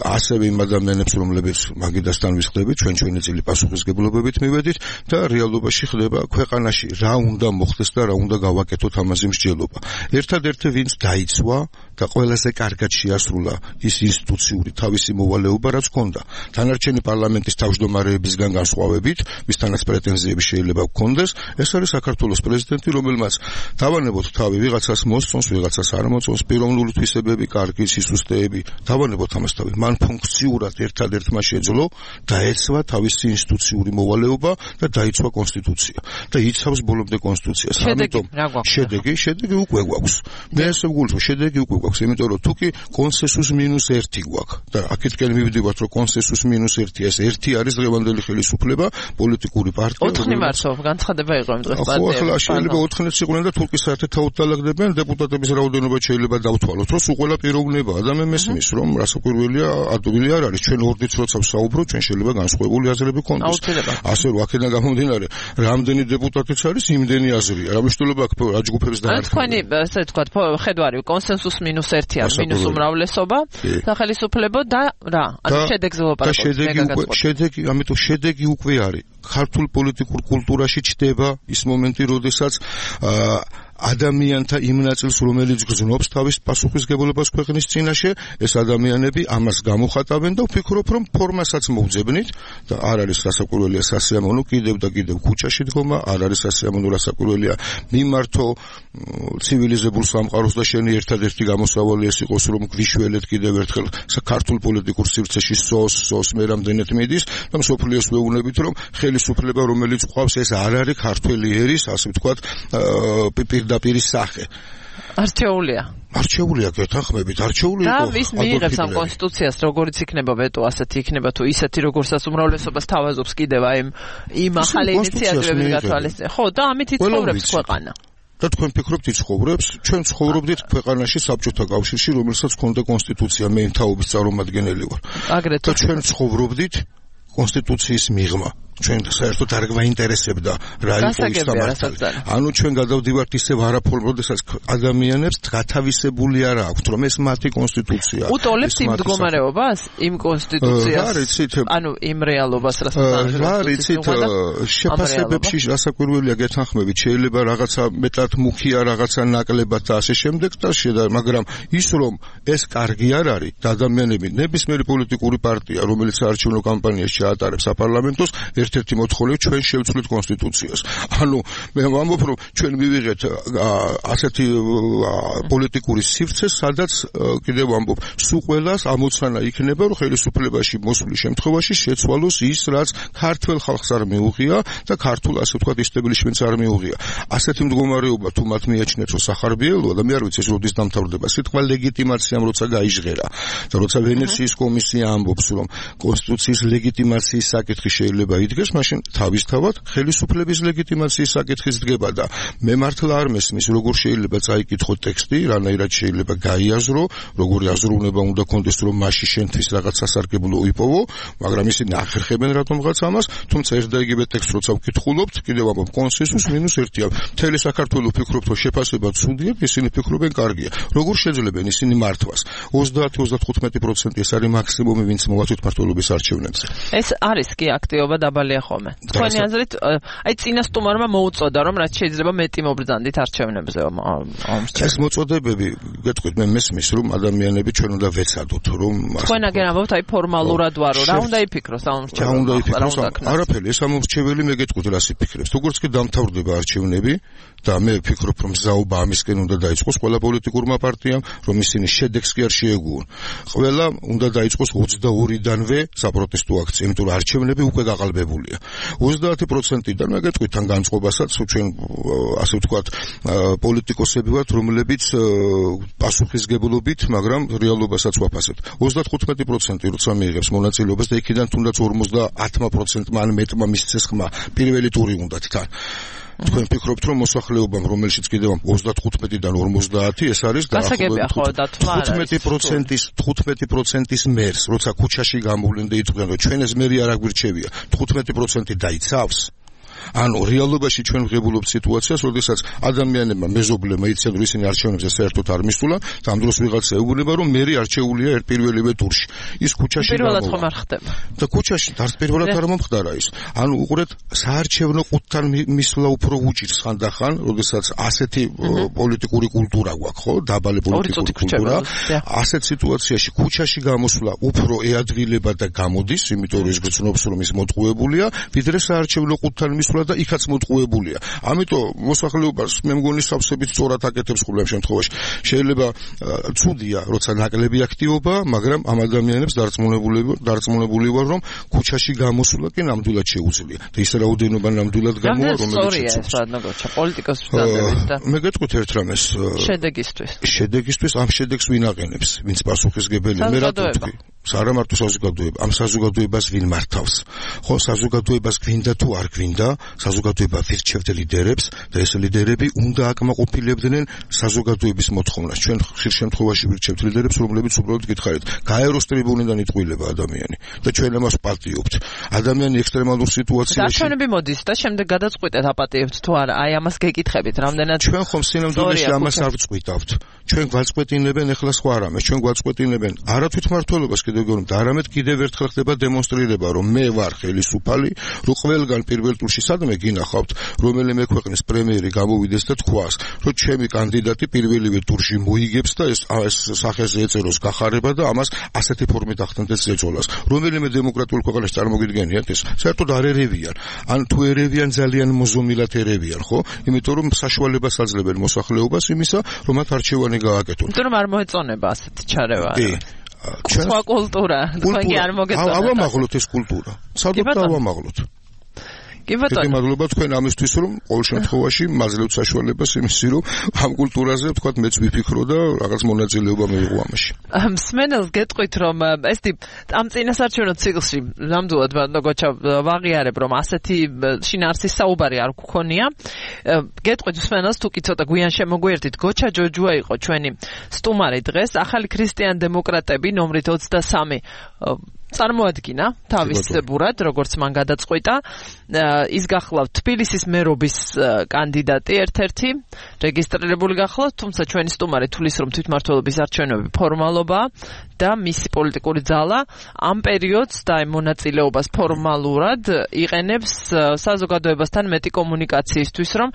ასევე იმ ადამიანებს, რომლებიც მაგიდასთან ვისხდებით, ჩვენი წილი პასუხისგებლობებით მივედით და რეალობაში ხდება ქვეყანაში რა უნდა მოხდეს და რა უნდა გავაკეთოთ ამაზე მსჯელობა. ერთადერთი ვინც დაიცვა და ყველაზე კარგად შეასრულა ის ინსტიტუციური თავისი მოვალეობა, რაც ჰქონდა. დანარჩენი პარლამენტის თავმჯდომარეებისგან განსხვავებით, ვისთანაც პრეტენზიები შეიძლება გქონდეს, ეს არის საქართველოს პრეზიდენტი, რომელმაც დავანებოთ თავი, ვიღაცას მოსწონს, ვიღაცას არ მოსწონს, პიროვნული თვისებები, კარგი სისუსტეები, დავანებოთ ამას თავი. მან ფუნქციურად ერთადერთმა შეძლო დაეცვა თავისი ინსტიტუციური მოვალეობა და დაიცვა კონსტიტუცია და იცავს ბოლომდე კონსტიტუციას. ამიტომ შედეგი უკვე გვაქვს. მე ესე ვგულისხმობ, შედეგი უკვე გვაქვს, იმიტომ რომ თუკი კონსენსუს -1 გვაქვს და აქეთკენ მივიდივართ, რომ კონსენსუს -1 ეს ერთი არის დღევანდელი ხელისუფლება, პოლიტიკური პარტია. 4 მარტო განცხადება იყო იმ დღეს პარტიები. ხო, ახლა შეიძლება 4-იც იყვნენ და თურქის საერთოდ დაალაგდებიან დეპუტატების რაოდენობა შეიძლება დავთვალოთ, რომ უყველა პიროვნებაა და მე მესმის, რომ რასაკვირველია, ადვილი არ არის. ჩვენ ორდიც როცა ვსაუბრობთ, ჩვენ შეიძლება განსხვავებული აზრები გქონდეს. ასე რომ აქედან გამომდინარე, რამდენი დეპუტატიც არის, იმდენი აზრია. რა მნიშვნელობა აქვს რა ჯგუფების დანარჩენი? თქვენი, ასე ვთქვათ, ხედვარი კონსენსუს -1 არის მინუს უმრავლესობა სახელმწიფო და რა ანუ შედეგზე ვლაპარაკობთ შედეგი ამიტომ შედეგი უკვე არის ქართულ პოლიტიკურ კულტურაში ჩდება ის მომენტი როდესაც ადამიანთა იმ ნაწილს რომელიც გრძნობს თავის პასუხისგებლობას ქვეყნის წინაშე ეს ადამიანები ამას გამოხატავენ და ვფიქრობ რომ ფორმასაც მოვძებნით და არ არის რასაკვირველია სასიამოვნო კიდევ და კიდევ ქუჩაში დგომა არ არის სასიამოვნო რასაკვირველია მიმართო ცივილიზებულ სამყაროს და შენი ერთადერთი გამოსავალი ეს იყოს რომ გვიშველეთ კიდევ ერთხელ ქართულ პოლიტიკურ სივრცეში სოს მე რამდენად მიდის და მსოფლიოს ვეუბნებით რომ ხელისუფლება რომელიც ყავს ეს არ არის ქართველი ერის ასე ვთქვათ პირდაპირი სახე არჩეულია გეთანხმებით არჩეული იყო და ვის მიიღებს ამ კონსტიტუციას როგორიც იქნება ვეტო ასეთი იქნება თუ ისეთი როგორცაც უმრავლესობას თავაზობს კიდევ აი იმ ახალი ინიციატივების გათვალისწინებით ხო და ამით იცხოვრებს ქვეყანა და თქვენ ფიქრობთ იცხოვრებს ჩვენ ცხოვრობდით ქვეყანაში საბჭოთა კავშირში რომელსაც ჰქონდა კონსტიტუცია მე თაობის წარმომადგენელი ვარ აგრეთვე და ჩვენ ცხოვრობდით კონსტიტუციის მიღმა ჩვენ საერთოდ არ გვაინტერესებდა რა იყო ის სამართალი. ანუ ჩვენ გადავდივართ ისევ არაფორმ, როდესაც ადამიანებს გათავისებული არ აქვთ, რომ ეს მათი კონსტიტუცია. უტოლებთ იმ მდგომარეობას, იმ კონსტიტუციას. ანუ იმ რეალობას, რასაც რა რიცით შეფასებებში რასაკვირველია გეთანხმებით, შეიძლება რაღაცა მეტად მუქია, რაღაცა ნაკლებად და ასე შემდეგ და მაგრამ ის რომ ეს კარგი არ არის და ადამიანები ნებისმიერი პოლიტიკური პარტია, რომელიც საარჩევნო კამპანიაში ჩაატარებს საპარლამენტოს ერთ-ერთი მოთხოვნა ჩვენ შევცვლით კონსტიტუციას. ანუ მე ვამბობ რომ ჩვენ მივიღეთ ასეთი პოლიტიკური სივრცე, სადაც კიდევ ვამბობ, სულ ყველას ამოცანა იქნება რომ ხელისუფლებაში მოსვლის შემთხვევაში შეცვალოს ის, რაც ქართულ ხალხს არ მიუღია და ქართულ ასე ვთქვათ ისტაბლიშმენტს არ მიუღია. ასეთი მდგომარეობა თუ მათ მიაჩნიათ რომ სახარბიელოა და მე არ ვიცი ეს როდის დამთავრდება. სიტყვა ლეგიტიმაციამ როცა გაიჟღერა და როცა ვენეციის კომისია ამბობს რომ კონსტიტუციის ლეგიტიმაციის საკითხი შეიძლება იდგეს, მაშინ თავისთავად ხელისუფლების ლეგიტიმაციის საკითხიც დგება და მე მართლა არ მესმის როგორ შეიძლება წაიკითხო ტექსტი, რანაირად შეიძლება გაიაზრო, როგორი აზროვნება უნდა კონდეს რომ მასში შენთვის რაღაც სასარგებლო იპოვო, მაგრამ ისინი ახერხებენ რატომღაც ამას, თუმცა ერთ და იგივე ტექსტს როცა ვკითხულობთ, კიდევ ამბობ კონსენსუს -1-ია. მთელი საქართველო ფიქრობთ რომ შეფასება ცუდია, ისინი ფიქრობენ კარგია. როგორ შეძლებენ ისინი მართვას? 30-35% ეს არის მაქსიმუმი, ვინც მოვაწვით მმართველობის არჩევნებზე. ეს არის კი აქტივობა დაბალია ხოლმე. თქვენი აზრით, აი წინასწარმეტყველმა მოუწოდა რომ რაც შეიძლება მეტი მობრძანდით არჩევნებზე ომს. ეს მოწოდებები, გეტყვით, მე მესმის რომ ადამიანები ჩვენ უნდა ვეცადოთ რომ თქვენ აგერ ამბობთ აი ფორმალურად ვარო, რა უნდა იფიქროს ამ რა უნდა იფიქროს? არაფერი, ეს ამორჩეველი მე გეტყვით რას იფიქრებს. როგორც კი დამთავრდება არჩევნები და მე ვფიქრობ რომ ზაობა ამისკენ უნდა დაიწყოს ყველა პოლიტიკურმა პარტიამ, რომ ისინი შედეგს კი არ შეეგუონ. ყველა უნდა დაიწყოს 22-დანვე საპროტესტო აქცია, იმიტომ რომ არჩევნები უკვე გაყალბებულია. 30%-დან მე გეტყვით თან განწყობასაც ჩვენ ასე ვთქვათ პოლიტიკოსები ვართ, რომლებიც პასუხისგებლობით, მაგრამ რეალობასაც ვაფასებთ. 35% როცა მიიღებს მონაწილეობას და იქიდან თუნდაც 50%-მა ან მეტმა მისცეს ხმა პირველი ტური უნდათ თან. თქვენ ფიქრობთ რომ მოსახლეობამ რომელშიც კიდევ 35-დან 50 ეს არის გასაგებია ხო და თვლა 15%-ის მერს როცა ქუჩაში გამოვლენ და იტყვიან რომ ჩვენ ეს მერი არ აგვირჩევია 15% დაიცავს. ანუ რეალობაში ჩვენ ვღებულობთ სიტუაციას, როდესაც ადამიანებმა მეზობლებმა იციან რომ ისინი არჩევნებზე საერთოდ არ მისულა და ამ დროს ვიღაცა ეუბნება რომ მერი არჩეულია პირველივე ტურში. ის ქუჩაში პირველად ხომ არ ხდება. და ქუჩაში არც პირველად არ მომხდარა ის. ანუ უყურეთ საარჩევნო ყუთთან მისვლა უფრო უჭირს ხანდახან, როდესაც ასეთი პოლიტიკური კულტურა გვაქვს, ხო? დაბალი პოლიტიკური კულტურა. ასეთ სიტუაციაში ქუჩაში გამოსვლა უფრო ეადვილება და გამოდის, იმიტომ რომ ის გრძნობს რომ ის მოტყუებულია, ვიდრე საარჩევნო ყუთთან და იქაც მოტყუებულია. ამიტომ მოსახლეობას მე მგონი სავსებით სწორად აკეთებს ყოველ შემთხვევაში. შეიძლება ცუდია, როცა ნაკლები აქტივობა, მაგრამ ამ ადამიანებს დარწმუნებული ვარ, რომ ქუჩაში გამოსვლა კი ნამდვილად შეუძლია. და ის რაოდენობა ნამდვილად გამოვა, რომელიც მე გეტყვით ერთ რამეს. შედეგისთვის ამ შედეგს ვინ აყენებს? ვინც პასუხისგებელია? მე რატო ვთქვი? არა მარტო საზოგადოება, ამ საზოგადოებას ვინ მართავს? ხო, საზოგადოებას გვინდა თუ არ გვინდა? საზოგადოება ვირჩევდა ლიდერებს და ეს ლიდერები უნდა აკმაყოფილებდნენ საზოგადოების მოთხოვნას. ჩვენ ხშირ შემთხვევაში ვირჩევთ ლიდერებს, რომლებიც უბრალოდ გითხარით, გაეროს ტრიბუნიდან იტყვილება ადამიანი და ჩვენ ამას პატიობთ. ადამიანი ექსტრემალურ სიტუაციაში დაჩვენები მოდის და შემდეგ გადაწყვეტეთ აპატიებთ თუ არა. აი ამას გეკითხებით, რამდენად ჩვენ ხომ სინამდვილეში ამას არ ვწყვიტავთ. ჩვენ გვაწყვეტინებენ ეხლა სხვა რამეს, ჩვენ გვაწყვეტინებენ არა თვითმმართველობას კიდევ გეუბნებთ, არამედ კიდევ ერთხელ ხდება დემონსტრირება, რომ მე ვარ ხელისუფალი, რომ ყველგან პირველ ტურში სადმე გინახავთ, რომელიმე ქვეყნის პრემიერი გამოვიდეს და თქვას, რომ ჩემი კანდიდატი პირველივე ტურში მოიგებს და ეს სახეზე ეწეროს გახარება და ამას ასეთი ფორმით ახდენდეს ზეწოლას. რომელიმე დემოკრატიულ ქვეყანაში წარმოგიდგენიათ ეს? საერთოდ არ ერევიან. ან თუ ერევიან ძალიან მოზომილად ერევიან, ხო? იმიტომ რომ საშუალებას აძლევენ მოსახლეობას იმისა, რომ მათ არჩევანი გააკეთონ. იმიტომ რომ არ მოეწონება ასეთი ჩარევა. ჩვენ სხვა კულტურა, თქვენ კი არ მოგეწონა. ავამაღლოთ ეს კულტურა. სადღაც ავამაღლოთ. კი ბატონო. მადლობა თქვენ ამისთვის, რომ ყოველ შემთხვევაში მაძლევთ საშუალებას იმისი, რომ ამ კულტურაზე თქვათ მეც ვიფიქრო და რაღაც მონაწილეობა მიიღო ამაში. მსმენელს გეტყვით, რომ ესეთი ამ წინასარჩევნო ციკლში ნამდვილად ბატონო გოჩა ვაღიარებ, რომ ასეთი შინაარსის საუბარი არ გქონია. გეტყვით მსმენელს, თუ კი ცოტა გვიან შემოგვიერთით, გოჩა ჯოჯუა იყო ჩვენი სტუმარი დღეს, ახალი ქრისტიან დემოკრატები ნომრით 23 წარმოადგინა თავის ბურად, როგორც მან გადაწყვიტა. ის გახლავთ თბილისის მერობის კანდიდატი ერთ-ერთი, რეგისტრირებული გახლავთ, თუმცა ჩვენი სტუმარი თulis რომ თვითმმართველობის არჩევნები ფორმალობაა და მისი პოლიტიკური ძალა ამ პერიოდს და მონაწილეობას ფორმალურად იყენებს საზოგადოებასთან მეტი კომუნიკაციისთვის, რომ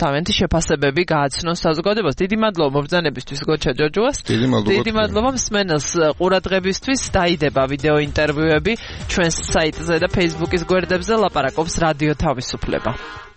თავიანთი შეფასებები გააცნოს საზოგადოებას. დიდი მადლობა მობრძანებისთვის გოჩა ჯოჯუას. დიდი მადლობა მსმენელს ყურადღებისთვის. დაიდება ვიდეო ინტერვიუები ჩვენს საიტზე და Facebook-ის გვერდებზე. ლაპარაკობს რადიო თავისუფლება.